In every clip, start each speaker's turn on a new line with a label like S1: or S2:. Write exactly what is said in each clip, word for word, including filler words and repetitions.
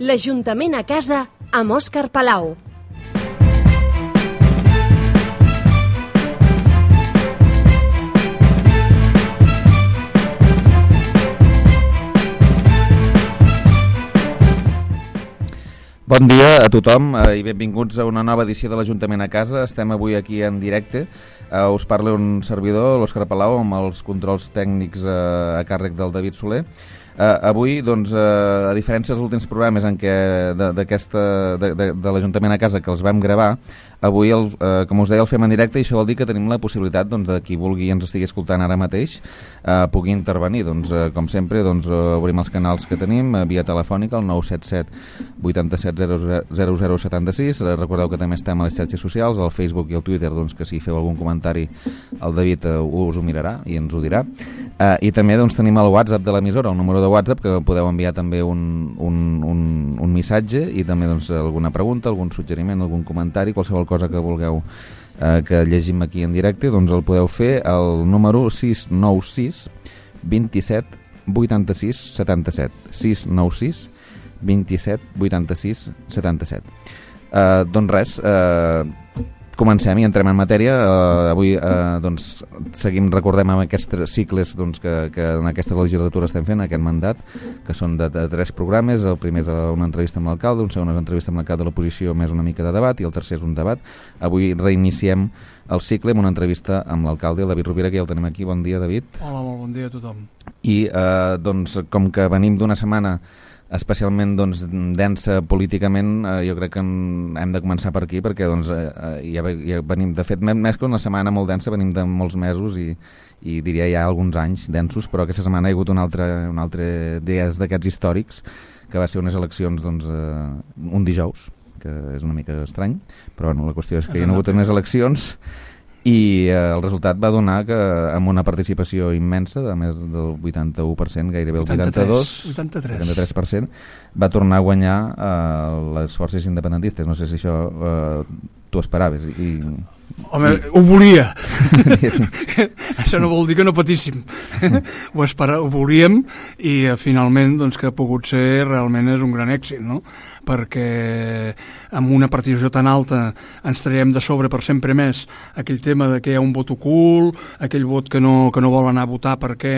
S1: L'Ajuntament a casa amb Òscar Palau.
S2: Bon dia a tothom eh, i benvinguts a una nova edició de l'Ajuntament a casa. Estem avui aquí en directe. Eh, us parla un servidor, l'Òscar Palau, amb els controls tècnics eh, a càrrec del David Soler. Uh, avui, doncs, uh, a diferència dels últims programes en què de, d'aquesta, de, de, de l'Ajuntament a casa que els vam gravar, avui, el, uh, com us deia, el fem en directe i això vol dir que tenim la possibilitat doncs, de qui vulgui i ens estigui escoltant ara mateix uh, pugui intervenir. Doncs, uh, com sempre, doncs, uh, obrim els canals que tenim uh, via telefònica, el nou set set vuit set zero zero zero set sis. Uh, recordeu que també estem a les xarxes socials, al Facebook i al Twitter, doncs, que si feu algun comentari el David uh, us ho mirarà i ens ho dirà. Uh, I també doncs, tenim el WhatsApp de l'emissora, el número de WhatsApp, que podeu enviar també un, un, un, un missatge i també doncs, alguna pregunta, algun suggeriment, algun comentari, qualsevol cosa que vulgueu eh, que llegim aquí en directe, doncs el podeu fer al número sis nou sis dos set vuit sis set set sis nou sis dos set vuit sis set set. Eh, doncs res, eh, comencem i entrem en matèria. Uh, avui uh, doncs, seguim, recordem amb aquests cicles doncs, que, que en aquesta legislatura estem fent, aquest mandat, que són de, de tres programes. El primer és una entrevista amb l'alcalde, un segon és una entrevista amb l'alcalde de l'oposició més una mica de debat i el tercer és un debat. Avui reiniciem el cicle amb una entrevista amb l'alcalde, el David Rovira, que ja el tenim aquí. Bon dia, David.
S3: Hola, molt bon dia a tothom.
S2: I uh, doncs, com que venim d'una setmana especialment doncs, densa políticament, eh, jo crec que hem de començar per aquí perquè doncs, eh, ja, ja venim, de fet més que una setmana molt densa, venim de molts mesos i, i diria ja alguns anys densos, però aquesta setmana hi ha hagut un altre, un altre dies d'aquests històrics, que va ser unes eleccions doncs, eh, un dijous, que és una mica estrany, però bueno, la qüestió és que hi ha hagut unes eleccions i eh, el resultat va donar que amb una participació immensa de més del vuitanta-u per cent, gairebé el vuitanta-dos, vuitanta-tres per cent, va tornar a guanyar eh, les forces independentistes. No sé si això eh, tu esperaves. I,
S3: Home, i... ho volia. Això no vol dir que no patíssim. ho, espera, ho volíem i eh, finalment doncs, que ha pogut ser realment és un gran èxit, no? Perquè amb una participació tan alta ens traiem de sobre per sempre més aquell tema de que hi ha un vot ocult, aquell vot que no, que no vol anar a votar perquè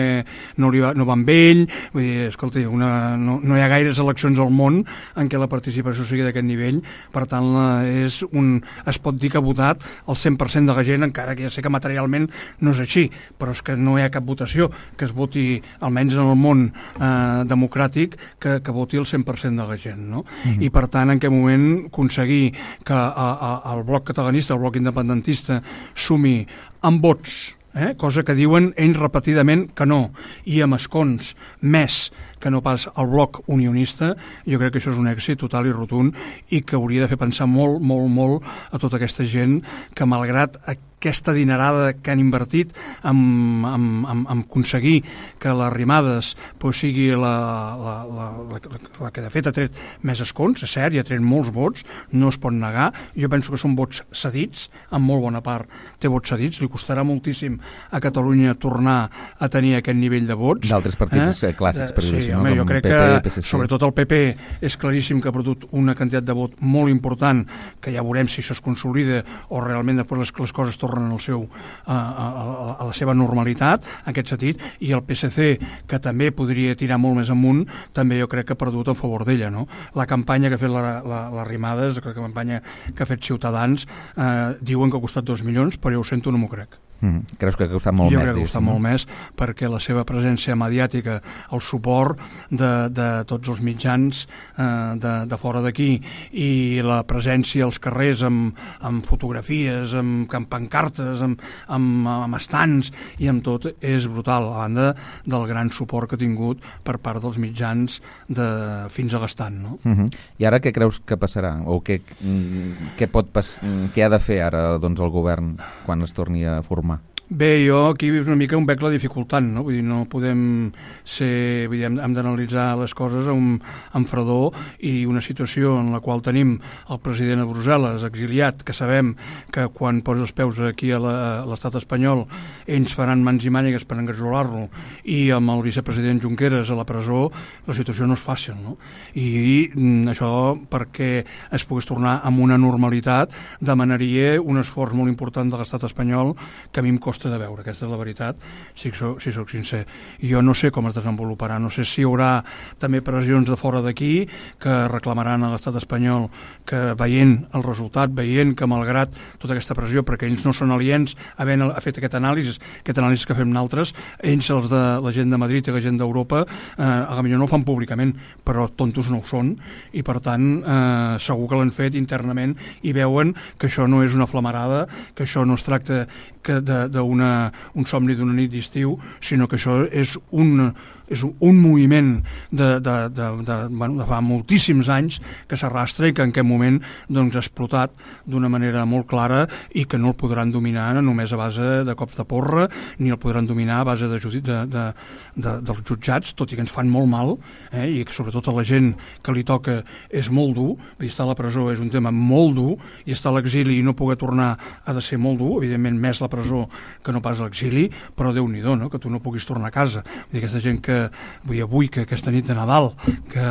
S3: no, li va, no va amb ell. Vull dir, escolti, una, no, no hi ha gaires eleccions al món en què la participació sigui d'aquest nivell, per tant la, és un, es pot dir que ha votat el cent per cent de la gent, encara que ja sé que materialment no és així, però és que no hi ha cap votació que es voti, almenys en el món eh, democràtic, que, que voti el cent per cent de la gent, no? Mm-hmm. I per tant en aquest moment aconseguir que a, a, el bloc catalanista, el bloc independentista sumi amb vots, eh? Cosa que diuen ells repetidament que no, i amb escons més que no pas el bloc unionista, jo crec que això és un èxit total i rotund i que hauria de fer pensar molt, molt, molt a tota aquesta gent que malgrat aquesta dinerada que han invertit en, en, en, en aconseguir que les Arrimadas pues, sigui la, la, la, la, la que de fet ha tret més escons, és cert, i ha tret molts vots, no es pot negar. Jo penso que són vots cedits, en molt bona part té vots cedits, li costarà moltíssim a Catalunya tornar a tenir aquest nivell de vots.
S2: D'altres partits eh? clàssics, per dir-ho
S3: sí, home, jo crec P P, que, P S C. Sobretot el P P, és claríssim que ha perdut una quantitat de vot molt important, que ja veurem si això es consolida o realment després les, les coses tornen al seu, a, a, a la seva normalitat, en aquest sentit, i el P S C, que també podria tirar molt més amunt, també jo crec que ha perdut en favor d'ella, no? La campanya que ha fet la, la, la Arrimadas, la campanya que ha fet Ciutadans, eh, diuen que ha costat dos milions, però jo ho sento, no m'ho crec.
S2: Mm, creus que ha costat molt
S3: jo
S2: més?
S3: Jo crec que ha costat molt més perquè la seva presència mediàtica, el suport de, de tots els mitjans eh, de, de fora d'aquí i la presència als carrers amb, amb fotografies, amb, amb pancartes, amb, amb, amb estants i amb tot és brutal, a banda del gran suport que ha tingut per part dels mitjans de, fins a l'estant, no?
S2: Mm-hmm. I ara què creus que passarà? O què, què, pot pas, què ha de fer ara doncs, el govern quan es torni a formar?
S3: Bé, jo aquí és una mica un bec la dificultant, no? Vull dir, no podem ser... Vull dir, hem, hem d'analitzar les coses amb, amb fredor, i una situació en la qual tenim el president a Brussel·les, exiliat, que sabem que quan posa els peus aquí a l'estat espanyol ells faran mans i mànigues per engarjolar-lo, i amb el vicepresident Junqueras a la presó, la situació no és fàcil, no? I, i això, perquè es pogués tornar amb una normalitat, demanaria un esforç molt important de l'estat espanyol que a mi em costa de veure, aquesta és la veritat, si soc, si soc sincer. Jo no sé com es desenvoluparà, no sé si hi haurà també pressions de fora d'aquí que reclamaran a l'estat espanyol que veient el resultat, veient que malgrat tota aquesta pressió, perquè ells no són aliens, havent fet aquest anàlisi, aquest anàlisi que fem nosaltres, ells, els de la gent de Madrid i la gent d'Europa, eh, a millor no ho fan públicament, però tontos no ho són, i per tant eh, segur que l'han fet internament i veuen que això no és una flamarada, que això no es tracta que d'un somni d'una nit d'estiu, sinó que això és un, és un moviment de, de, de, de, bueno, de fa moltíssims anys que s'arrastra i que en aquest moment doncs, ha explotat d'una manera molt clara i que no el podran dominar només a base de cops de porra, ni el podran dominar a base de, de, de, de, dels jutjats, tot i que ens fan molt mal, eh, i que sobretot a la gent que li toca és molt dur. Estar a la presó és un tema molt dur, i estar a l'exili i no poder tornar ha de ser molt dur, evidentment més la presó que no pas l'exili, però Déu-n'hi-do, no? Que tu no puguis tornar a casa. Vull dir, aquesta gent que vull dir, avui, que aquesta nit de Nadal, que...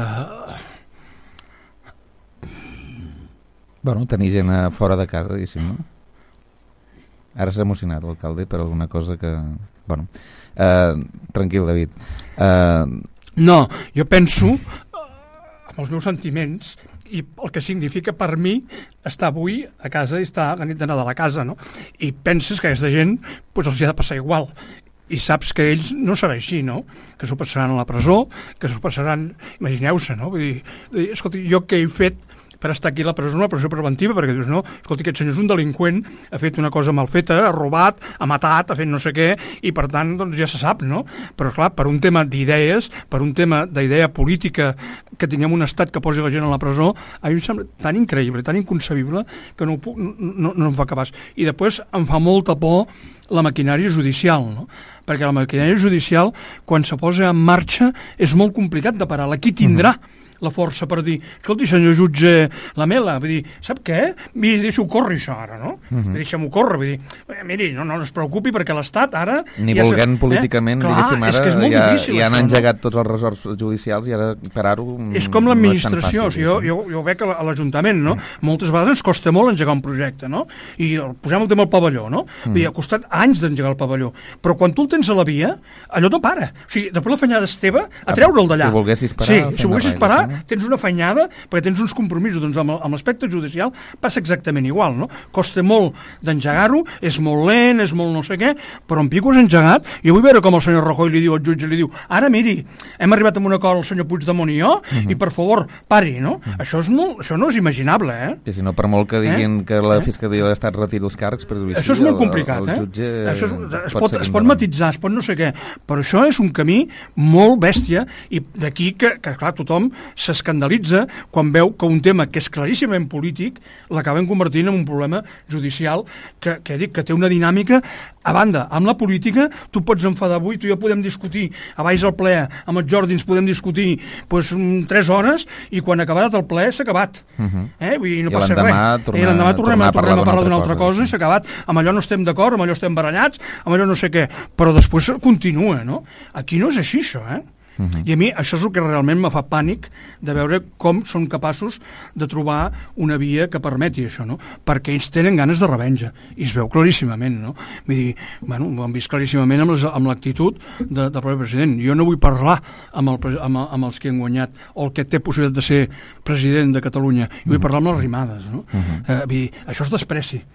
S2: Bueno, tenir gent fora de casa, diguéssim, no? Ara s'ha emocionat l'alcalde per alguna cosa que... Bueno, eh, tranquil, David. Eh...
S3: No, jo penso, amb els meus sentiments, i el que significa per mi estar avui a casa i estar la nit de Nadal a casa, no? I penses que aquesta gent pues, els hi ha de passar igual, i saps que ells no serà així, no? Que s'ho passaran a la presó, que s'ho passaran, imagineu-se, no? Vull dir, escolta, jo què he fet per estar aquí a la presó, una presó preventiva, perquè dius, no, escolta, aquest senyor és un delinqüent, ha fet una cosa mal feta, ha robat, ha matat, ha fet no sé què, i per tant, doncs ja se sap, no? Però clar, per un tema d'idees, per un tema d'idea política, que tinguem un estat que posi la gent a la presó, a mi em sembla tan increïble, tan inconcebible, que no, no, no, no em fa capaç. I després em fa molta por la maquinària judicial, no? Perquè la maquinària judicial, quan se posa en marxa, és molt complicat de parar. La qui tindrà uh-huh. la força per dir, escolti, senyor jutge Lamela, vull dir, sap què? Miri, deixa-ho córrer això ara, no? Uh-huh. Deixa-m'ho córrer, vull dir, eh, miri, no, no, no es preocupi perquè l'Estat ara...
S2: Ni ja volent se... políticament, eh? Diguéssim, ara
S3: és que
S2: ja,
S3: difícil,
S2: ja han
S3: això,
S2: engegat
S3: no?
S2: tots els resorts judicials i ara parar-ho
S3: és com l'administració,
S2: no
S3: o sigui, jo, jo, jo veig a l'Ajuntament, no? Uh-huh. Moltes vegades ens costa molt engegar un projecte, no? I posem el tema del pavelló, no? Uh-huh. Vull dir, ha costat anys d'engegar el pavelló, però quan tu el tens a la via, allò no para. O sigui, després la fanyada és teva a treure'l d'allà.
S2: Si volguessis parar...
S3: Sí, si volguessis parar, tens una fanyada perquè tens uns compromisos, doncs amb, amb l'aspecte judicial passa exactament igual, no? Costa molt d'engegar-ho, és molt lent, és molt no sé què, però en pico és engegat. Jo vull veure com el senyor Rajoy li diu al jutge, li diu, ara miri, hem arribat a un acord el senyor Puigdemont i jo, uh-huh. i per favor, pari, no? Uh-huh. Això, és molt, això no és imaginable, eh?
S2: I si no, per molt que diguin eh? que la Fiscalia de l'Estat retiri els càrrecs, per dir-ho així,
S3: això és molt complicat,
S2: el, el jutge
S3: eh? Això és, es
S2: pot,
S3: pot, es pot matitzar, es pot no sé què, però això és un camí molt bèstia, i d'aquí que, que clar, tothom s'escandalitza quan veu que un tema que és claríssimament polític l'acaben convertint en un problema judicial que, que dic que té una dinàmica. A banda, amb la política tu pots enfadar avui, tu i jo podem discutir a baix al ple, amb els Jordins podem discutir pues, tres hores i quan ha acabat el ple s'ha acabat. Uh-huh. eh? Vull dir, no
S2: I
S3: passa res.
S2: Tornar,
S3: I l'endemà tornem,
S2: tornar a
S3: tornem a parlar d'una
S2: altra
S3: altra cosa, cosa i s'ha acabat. Amb allò no estem d'acord, amb allò estem barallats, amb allò no sé què, però després continua, no? Aquí no és així, això, eh? Uh-huh. I a mi això és el que realment me fa pànic de veure com són capaços de trobar una via que permeti això, no? Perquè ells tenen ganes de revenja i es veu claríssimament, no? Vull dir, bueno, ho han vist claríssimament amb, les, amb l'actitud de, del propi president. Jo no vull parlar amb, el, amb, amb els que han guanyat o el que té possibilitat de ser president de Catalunya, jo vull parlar amb les rimades, no? Uh-huh. eh, vull dir, això és despreci.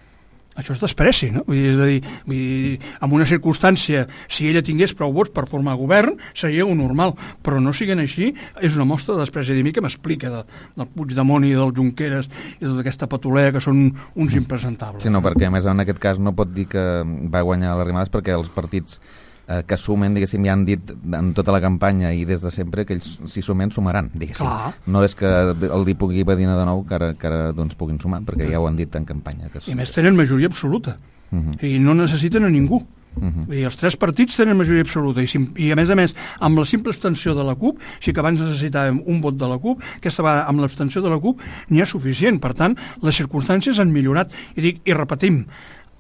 S3: Això és despreci, no? Vull dir, és a dir, vull dir, en una circumstància, si ella tingués prou vots per formar govern, seria un normal, però no siguin així, és una mostra de despreci. A mi que m'explica de, del Puigdemont i del Junqueras i tota aquesta patolea que són uns impresentables.
S2: Sí, no, perquè a més en aquest cas no pot dir que va guanyar les rimades perquè els partits eh, que sumen, diguéssim, ja han dit en tota la campanya i des de sempre que ells si sumen, sumaran, diguéssim. Clar. No és que el dir pugui badina de nou que ara, que ara doncs, puguin sumar, perquè ja ho han dit en campanya. Que
S3: I a més tenen majoria absoluta. Uh-huh. I no necessiten a ningú. Uh-huh. I els tres partits tenen majoria absoluta i, i a més a més amb la simple abstenció de la CUP, sí que abans necessitàvem un vot de la CUP, aquesta vegada amb l'abstenció de la CUP n'hi ha suficient, per tant les circumstàncies han millorat i, dic, i repetim,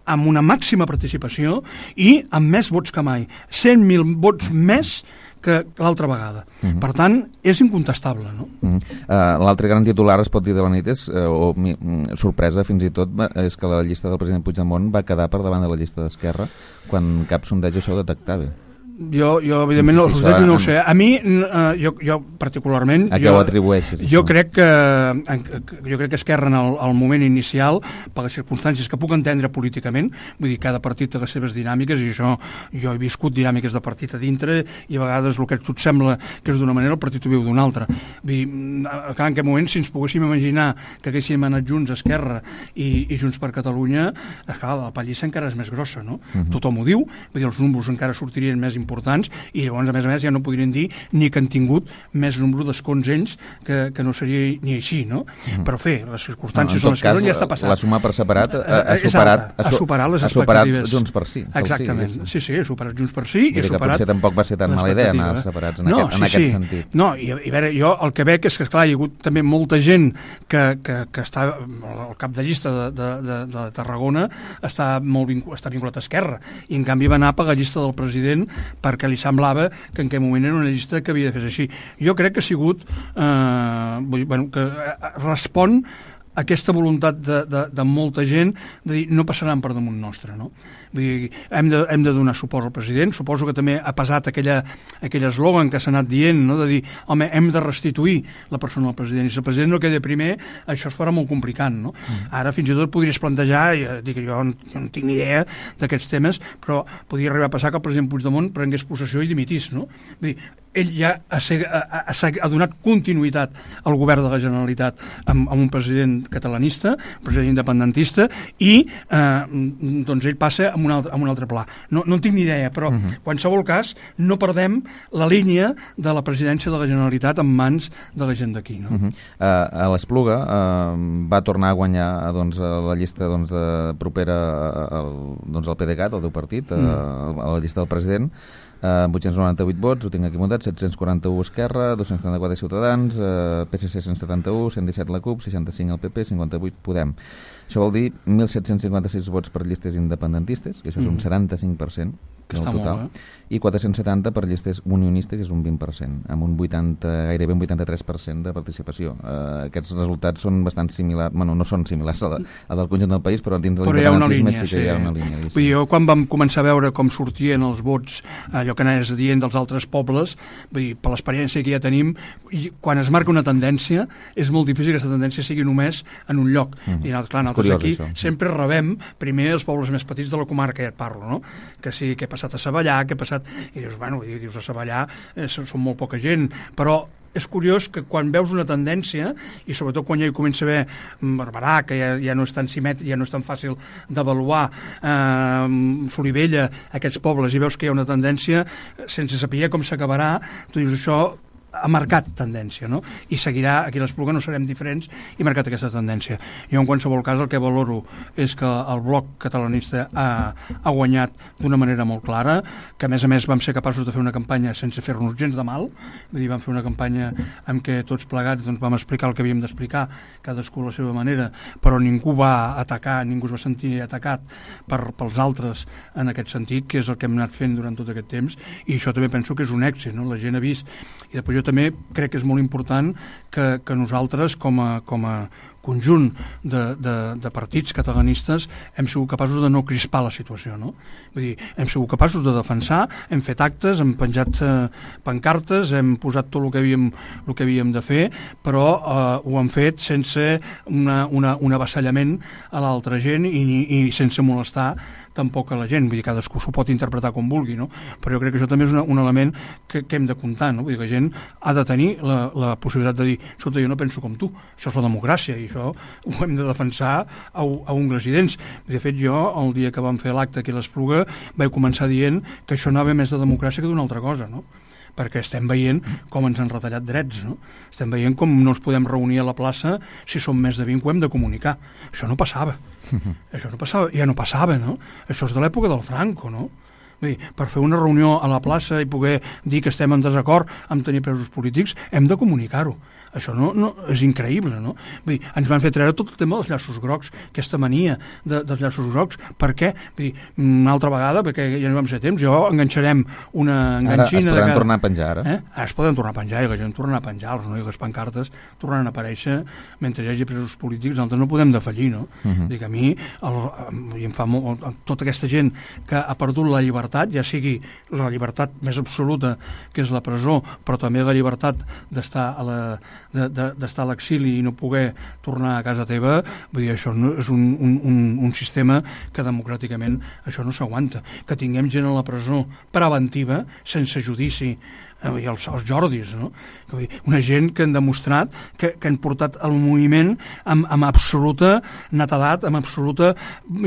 S3: amb una màxima participació i amb més vots que mai, cent mil vots més que l'altra vegada. Uh-huh. Per tant, és incontestable, no?
S2: Uh-huh. Uh, L'altre gran titular, es pot dir de la nit, és, uh, o mi, sorpresa fins i tot, és que la llista del president Puigdemont va quedar per davant de la llista d'Esquerra quan cap sondeig això ho detectava.
S3: Jo, jo evidentment, no, no, no, no ho sé. A mi, uh, jo, jo particularment...
S2: A què ho atribueixes?
S3: Jo crec que, jo crec que Esquerra, en el, el moment inicial, per les circumstàncies que puc entendre políticament, vull dir, cada partit té les seves dinàmiques, i això, jo he viscut dinàmiques de partit a dintre, i a vegades el que a tu et sembla que és d'una manera, el partit ho viu d'una altra. Vull dir, en aquest moment, si ens poguéssim imaginar que haguéssim anat junts, Esquerra i, i Junts per Catalunya, clar, la pallissa encara és més grossa, no? Uh-huh. Tothom ho diu, vull dir, els números encara sortirien més importants i llavors a més a més ja no podrien dir ni que han tingut més número d'escons ells que, que no seria ni així, no? Mm. Però fer, les circumstàncies no, en les que no ja està passant.
S2: La suma per separat ha, ha, superat,
S3: ha, ha superat les
S2: ha
S3: expectatives.
S2: Ha superat Junts per Sí.
S3: Exactament, sí, sí, sí, ha superat Junts per Sí i ha superat...
S2: Potser tampoc va ser tan mala idea anar separats en, no, aquest, en sí, aquest
S3: sí.
S2: sentit.
S3: No, i, i a veure, jo el que veig és que, esclar, hi ha hagut també molta gent que, que, que està al cap de llista de, de, de, de Tarragona està, molt vinculat, està vinculat a Esquerra i en canvi va anar per la llista del president perquè li semblava que en aquell moment era una llista que havia de fer així. Jo crec que ha sigut eh, vull, bueno, que respon a aquesta voluntat de, de, de molta gent de dir no passaran per damunt nostre, no? Vull dir, hem de, hem de donar suport al president. Suposo que també ha pesat aquella, aquell eslògan que s'ha anat dient, no? De dir, home, hem de restituir la persona al president, i si el president no queda primer, això es farà molt complicat, no? Mm. Ara fins i tot podries plantejar, i dic, jo, jo no tinc ni idea d'aquests temes, però podria arribar a passar que el president Puigdemont prengués possessió i dimitís, no? Vull dir, ell ja ha, ha, ha, ha donat continuïtat al govern de la Generalitat amb, amb un president catalanista, un president independentista, i eh, doncs ell passa amb un altre, amb un altre pla. No, no en tinc ni idea, però en uh-huh. qualsevol cas no perdem la línia de la presidència de la Generalitat en mans de la gent d'aquí. No?
S2: Uh-huh. uh, a l'Espluga uh, va tornar a guanyar doncs, a la llista doncs, de propera al, doncs, al PDeCAT, el teu partit, uh, uh. a la llista del president, Uh, vuit-cents noranta-vuit vots, ho tinc aquí muntat, set-cents quaranta-u Esquerra, dos-cents setanta-quatre Ciutadans, uh, P S C cent setanta-u, cent disset la CUP, seixanta-cinc el P P, cinquanta-vuit Podem. Això vol dir mil set-cents cinquanta-sis vots per llistes independentistes, que això és un setanta-cinc per cent del total, molt, eh? I quatre-cents setanta per llistes unionistes, que és un vint per cent, amb un vuitanta, gairebé un vuitanta-tres per cent de participació. Uh, aquests resultats són bastant similars, bueno, no són similars a, la, a del conjunt del país, però dins de l'independentisme sí que sí. Hi ha una línia.
S3: Vull dir, jo quan vam començar a veure com sortien els vots, allò que anaves dient dels altres pobles, vull dir, per l'experiència que ja tenim, quan es marca una tendència, és molt difícil que aquesta tendència sigui només en un lloc. Mm-hmm. I clar, nosaltres curiós, aquí això. Sempre rebem primer els pobles més petits de la comarca, ja et parlo, no? Que sí, que he passat a Savallà, que he passat... I dius, bueno, dius a Savallà eh, són molt poca gent, però és curiós que quan veus una tendència, i sobretot quan ja hi comença a haver Barberà, que ja, ja no és tan simètric, ja no és tan fàcil d'avaluar, eh, Solivella, aquests pobles, i veus que hi ha una tendència, sense saber com s'acabarà, tu dius, això ha marcat tendència, no? I seguirà, aquí a l'Espluga no serem diferents, i ha marcat aquesta tendència. Jo en qualsevol cas el que valoro és que el bloc catalanista ha, ha guanyat d'una manera molt clara, que a més a més vam ser capaços de fer una campanya sense fer-nos gens de mal, vull dir, vam fer una campanya en què tots plegats doncs, vam explicar el que havíem d'explicar, cadascú a la seva manera, però ningú va atacar, ningú es va sentir atacat per, pels altres en aquest sentit, que és el que hem anat fent durant tot aquest temps, i això també penso que és un èxit, no? La gent ha vist, i després jo també crec que és molt important que, que nosaltres com a, com a conjunt de, de, de partits catalanistes hem sigut capaços de no crispar la situació, no? Vull dir, hem sigut capaços de defensar, hem fet actes, hem penjat eh, pancartes, hem posat tot el que havíem, el que havíem de fer, però eh, ho hem fet sense una, una, un avasallament a l'altra gent i, i sense molestar tampoc a la gent, vull dir, cadascú s'ho pot interpretar com vulgui, no? Però jo crec que això també és una, un element que, que hem de comptar, no? Vull dir, que la gent ha de tenir la, la possibilitat de dir, escolta, jo no penso com tu, això és la democràcia i això ho hem de defensar a, a ungles i dents. De fet, jo, el dia que vam fer l'acte aquí a l'Espluga, vaig començar dient que això anava més de democràcia que d'una altra cosa, no? Perquè estem veient com ens han retallat drets, no? Estem veient com no ens podem reunir a la plaça si som més de vint, ho hem de comunicar. Això no passava. Això no passava, ja no passava, no? Això és de l'època del Franco, no? Vull dir, per fer una reunió a la plaça i poder dir que estem en desacord amb tenir presos polítics, hem de comunicar-ho. Això no, no, és increïble, no? Vull dir, ens van fer treure tot el tema dels llaços grocs, aquesta mania de, dels llaços grocs. Per què? Vull dir, una altra vegada, perquè ja no vam ser temps, jo enganxarem una enganxina...
S2: Ara es poden
S3: de cada...
S2: tornar a penjar, ara?
S3: Eh? Ara es poden tornar a penjar, i la gent torna a penjar, no? I les pancartes tornen a aparèixer mentre hi hagi presos polítics. Nosaltres no podem defallir, no? Uh -huh. Dic, a mi, el, i em fa molt, tota aquesta gent que ha perdut la llibertat, ja sigui la llibertat més absoluta, que és la presó, però també la llibertat d'estar a la d'estar de, de, a l'exili i no poder tornar a casa teva, vull dir, això no, és un, un, un, un sistema que democràticament això no s'aguanta. Que tinguem gent a la presó preventiva, sense judici, i els, els Jordis, no? Una gent que han demostrat que, que han portat el moviment amb, amb absoluta netedat, amb absoluta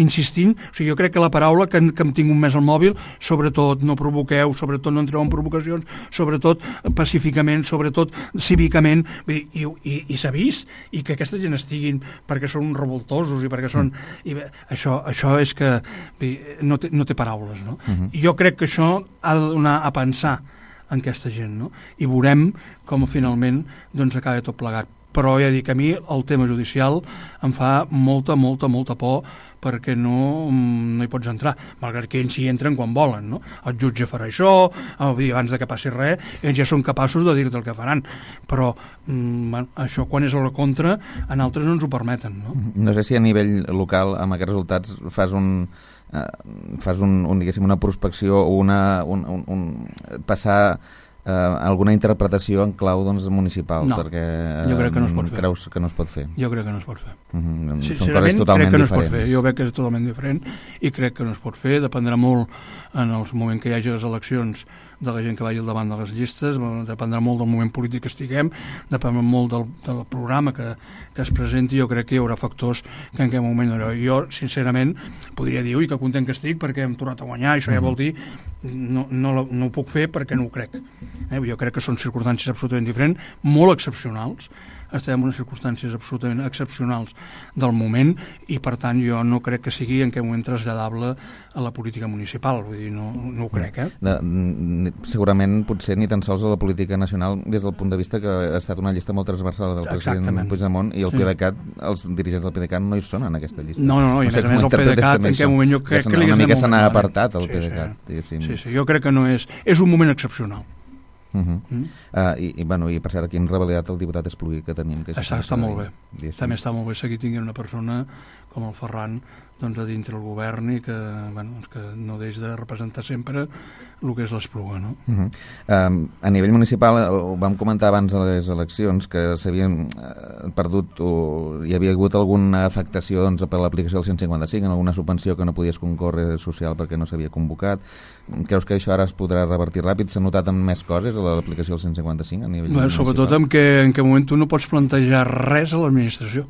S3: insistint. O sigui, jo crec que la paraula que, que hem tingut més al mòbil, sobretot no provoqueu, sobretot no entreu en provocacions, sobretot pacíficament, sobretot cívicament, vull dir, i, i, i s'ha vist, i que aquesta gent estiguin perquè són revoltosos i perquè són... I bé, això, això és que dir, no, té, no té paraules, no? Uh-huh. Jo crec que això ha de donar a pensar en aquesta gent, no? I veurem com finalment doncs acaba tot plegat. Però ja dic, a mi el tema judicial em fa molta, molta, molta por perquè no, no hi pots entrar, malgrat que ells hi entren quan volen, no? El jutge farà això, abans de que passi res, ells ja són capaços de dir-te el que faran, però bueno, això quan és a la contra, en altres no ens ho permeten, no?
S2: No sé si a nivell local, amb aquests resultats, fas un... Uh, fas un, un, diguéssim, una prospecció o una, un, un, un, passar uh, alguna interpretació en clau doncs, municipal,
S3: no,
S2: perquè uh,
S3: jo crec que no es pot fer.
S2: Creus que no es pot fer?
S3: Jo crec que no es pot fer.
S2: Uh-huh.
S3: Sí,
S2: Són coses totalment
S3: crec que no
S2: diferents.
S3: Es pot fer. Jo veig que és totalment diferent i crec que no es pot fer. Dependrà molt en el moment que hi hagi les eleccions de la gent que vagi al davant de les llistes, dependrà molt del moment polític que estiguem, dependrà molt del, del programa que, que es presenti. Jo crec que hi haurà factors que en aquest moment no. Jo, sincerament, podria dir, ui, que content que estic perquè hem tornat a guanyar, això ja vol dir no, no, no ho puc fer perquè no ho crec. Eh? Jo crec que són circumstàncies absolutament diferents, molt excepcionals, estem en unes circumstàncies absolutament excepcionals del moment i per tant jo no crec que sigui en aquest moment traslladable a la política municipal, vull dir, no, no ho crec, eh?
S2: De, segurament potser ni tan sols a la política nacional des del punt de vista que ha estat una llista molt transversal del
S3: Exactament.
S2: president Puigdemont i el
S3: sí.
S2: PDeCAT, els dirigents del PDeCAT no hi són en aquesta llista.
S3: No, no, no, i a més a més el PDeCAT en aquest moment jo crec que, que li
S2: una mica se n'ha apartat el
S3: sí,
S2: PDeCAT.
S3: Sí.
S2: Sí,
S3: sí, sí, jo crec que no és... És un moment excepcional.
S2: Uh -huh. mm. uh, i, i, bueno, i per cert, aquí en revalidat el diputat Espluguí que tenim que
S3: està, està molt bé dir, també està molt bé seguir tinguent una persona com el Ferran doncs, a dintre el govern i que, bueno, que no deix de representar sempre el que és l'Espluga, no?
S2: Uh -huh. um, a nivell municipal ho vam comentar abans de les eleccions que s'havien uh, perdut o hi havia hagut alguna afectació doncs, per l'aplicació del cent cinquanta-cinc, en alguna subvenció que no podies concórrer social perquè no s'havia convocat. Creus que això ara es podrà revertir ràpid? S'ha notat en més coses a l'aplicació del cent cinquanta-cinc a nivell
S3: bueno, sobretot en què, en què moment tu no pots plantejar res a l'administració.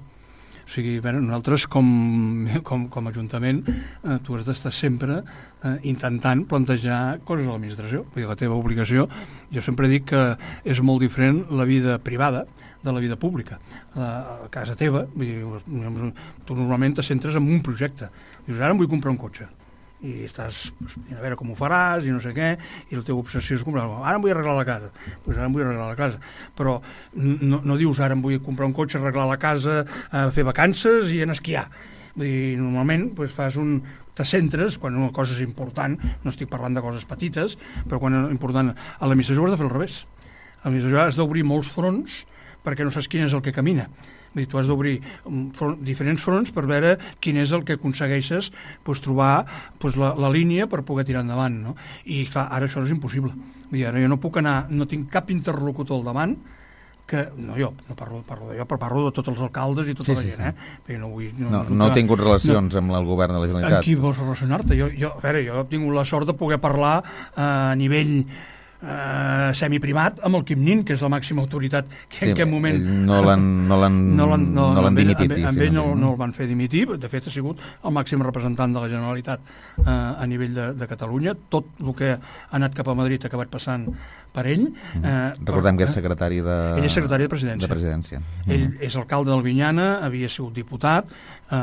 S3: O sigui, bueno, nosaltres com, com, com a Ajuntament eh, tu has d'estar sempre eh, intentant plantejar coses a l'administració. Vull dir, la teva obligació, jo sempre dic que és molt diferent la vida privada de la vida pública. A casa teva, vull dir, tu normalment te centres en un projecte. Dius, ara em vull comprar un cotxe. I estàs a veure com ho faràs i no sé què, i la teva obsessió és comprar, ara em vull arreglar la casa, pues ara em vull arreglar la casa, però no, no dius ara em vull comprar un cotxe, arreglar la casa, eh, fer vacances i anar a esquiar. Vull dir, normalment pues, fas un te centres, quan una cosa és important, no estic parlant de coses petites, però quan és important, a l'administració has de fer al revés. A l'administració has d'obrir molts fronts perquè no saps quin és el que camina. Dir, tu has d'obrir front, diferents fronts per veure quin és el que aconsegueixes pues, trobar pues, la, la línia per poder tirar endavant, no? I clar, ara això no és impossible. Dir, ara jo no puc anar, no tinc cap interlocutor al davant que, no jo, no parlo, parlo de jo, però parlo de tots els alcaldes i tota sí, la gent, sí, sí. eh? No, vull, no,
S2: no, no he tingut relacions no, amb el govern de la Generalitat.
S3: Amb qui vols relacionar-te? Jo, jo, a veure, jo he tingut la sort de poder parlar eh, a nivell eh, semiprivat amb el Quim Nin, que és la màxima autoritat que sí, en aquest moment...
S2: No l'han no no
S3: no,
S2: no dimitit.
S3: Amb, amb ell no, no el van fer dimitir, de fet ha sigut el màxim representant de la Generalitat eh, a nivell de, de Catalunya. Tot el que ha anat cap a Madrid ha acabat passant per ell. Eh,
S2: Recordem
S3: però,
S2: que és secretari de...
S3: Ell és secretari de Presidència.
S2: De presidència.
S3: Ell mm. és alcalde d'Albinyana, havia sigut diputat, eh,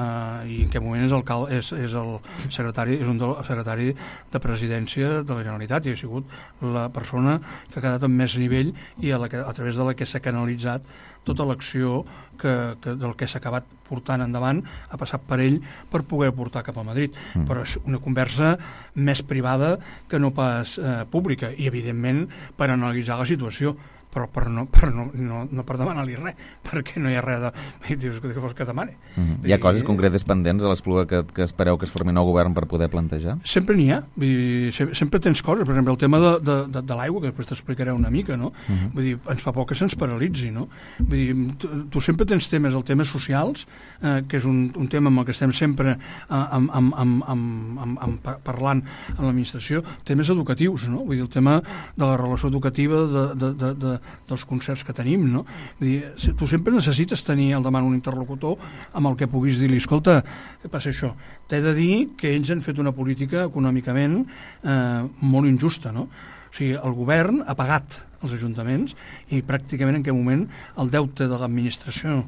S3: i en aquest moment és, alcalde, és, és el secretari, és un del secretari de Presidència de la Generalitat i ha sigut la persona que ha quedat amb més nivell i a, la que, a través de la que s'ha canalitzat tota l'acció que, que del que s'ha acabat portant endavant ha passat per ell per poder portar cap a Madrid. Mm. Però és una conversa més privada que no pas eh, pública i, evidentment, per analitzar la situació. Però, però, no, però no, no, no per demanar-li res, perquè no hi ha res de... Dius, que vols que demani?
S2: Mm-hmm. Hi ha coses concretes pendents a l'Espluga que, que espereu que es formi nou govern per poder plantejar?
S3: Sempre n'hi ha. Vull dir, sempre, sempre tens coses. Per exemple, el tema de, de, de, de l'aigua, que després t'explicaré una mica, no? Mm-hmm. Vull dir, ens fa por que se'ns paralitzi, no? Vull dir, tu, tu sempre tens temes, el temes socials, eh, que és un, un tema amb el que estem sempre eh, amb, amb, amb, amb, amb, amb, parlant amb l'administració, temes educatius, no? Vull dir, el tema de la relació educativa, de, de, de, de dels concerts que tenim, no? Vull dir, tu sempre necessites tenir al davant un interlocutor amb el que puguis dir-li, escolta, què passa això? T'he de dir que ells han fet una política econòmicament eh, molt injusta, no? O sigui, el govern ha pagat els ajuntaments i pràcticament en aquest moment el deute de l'administració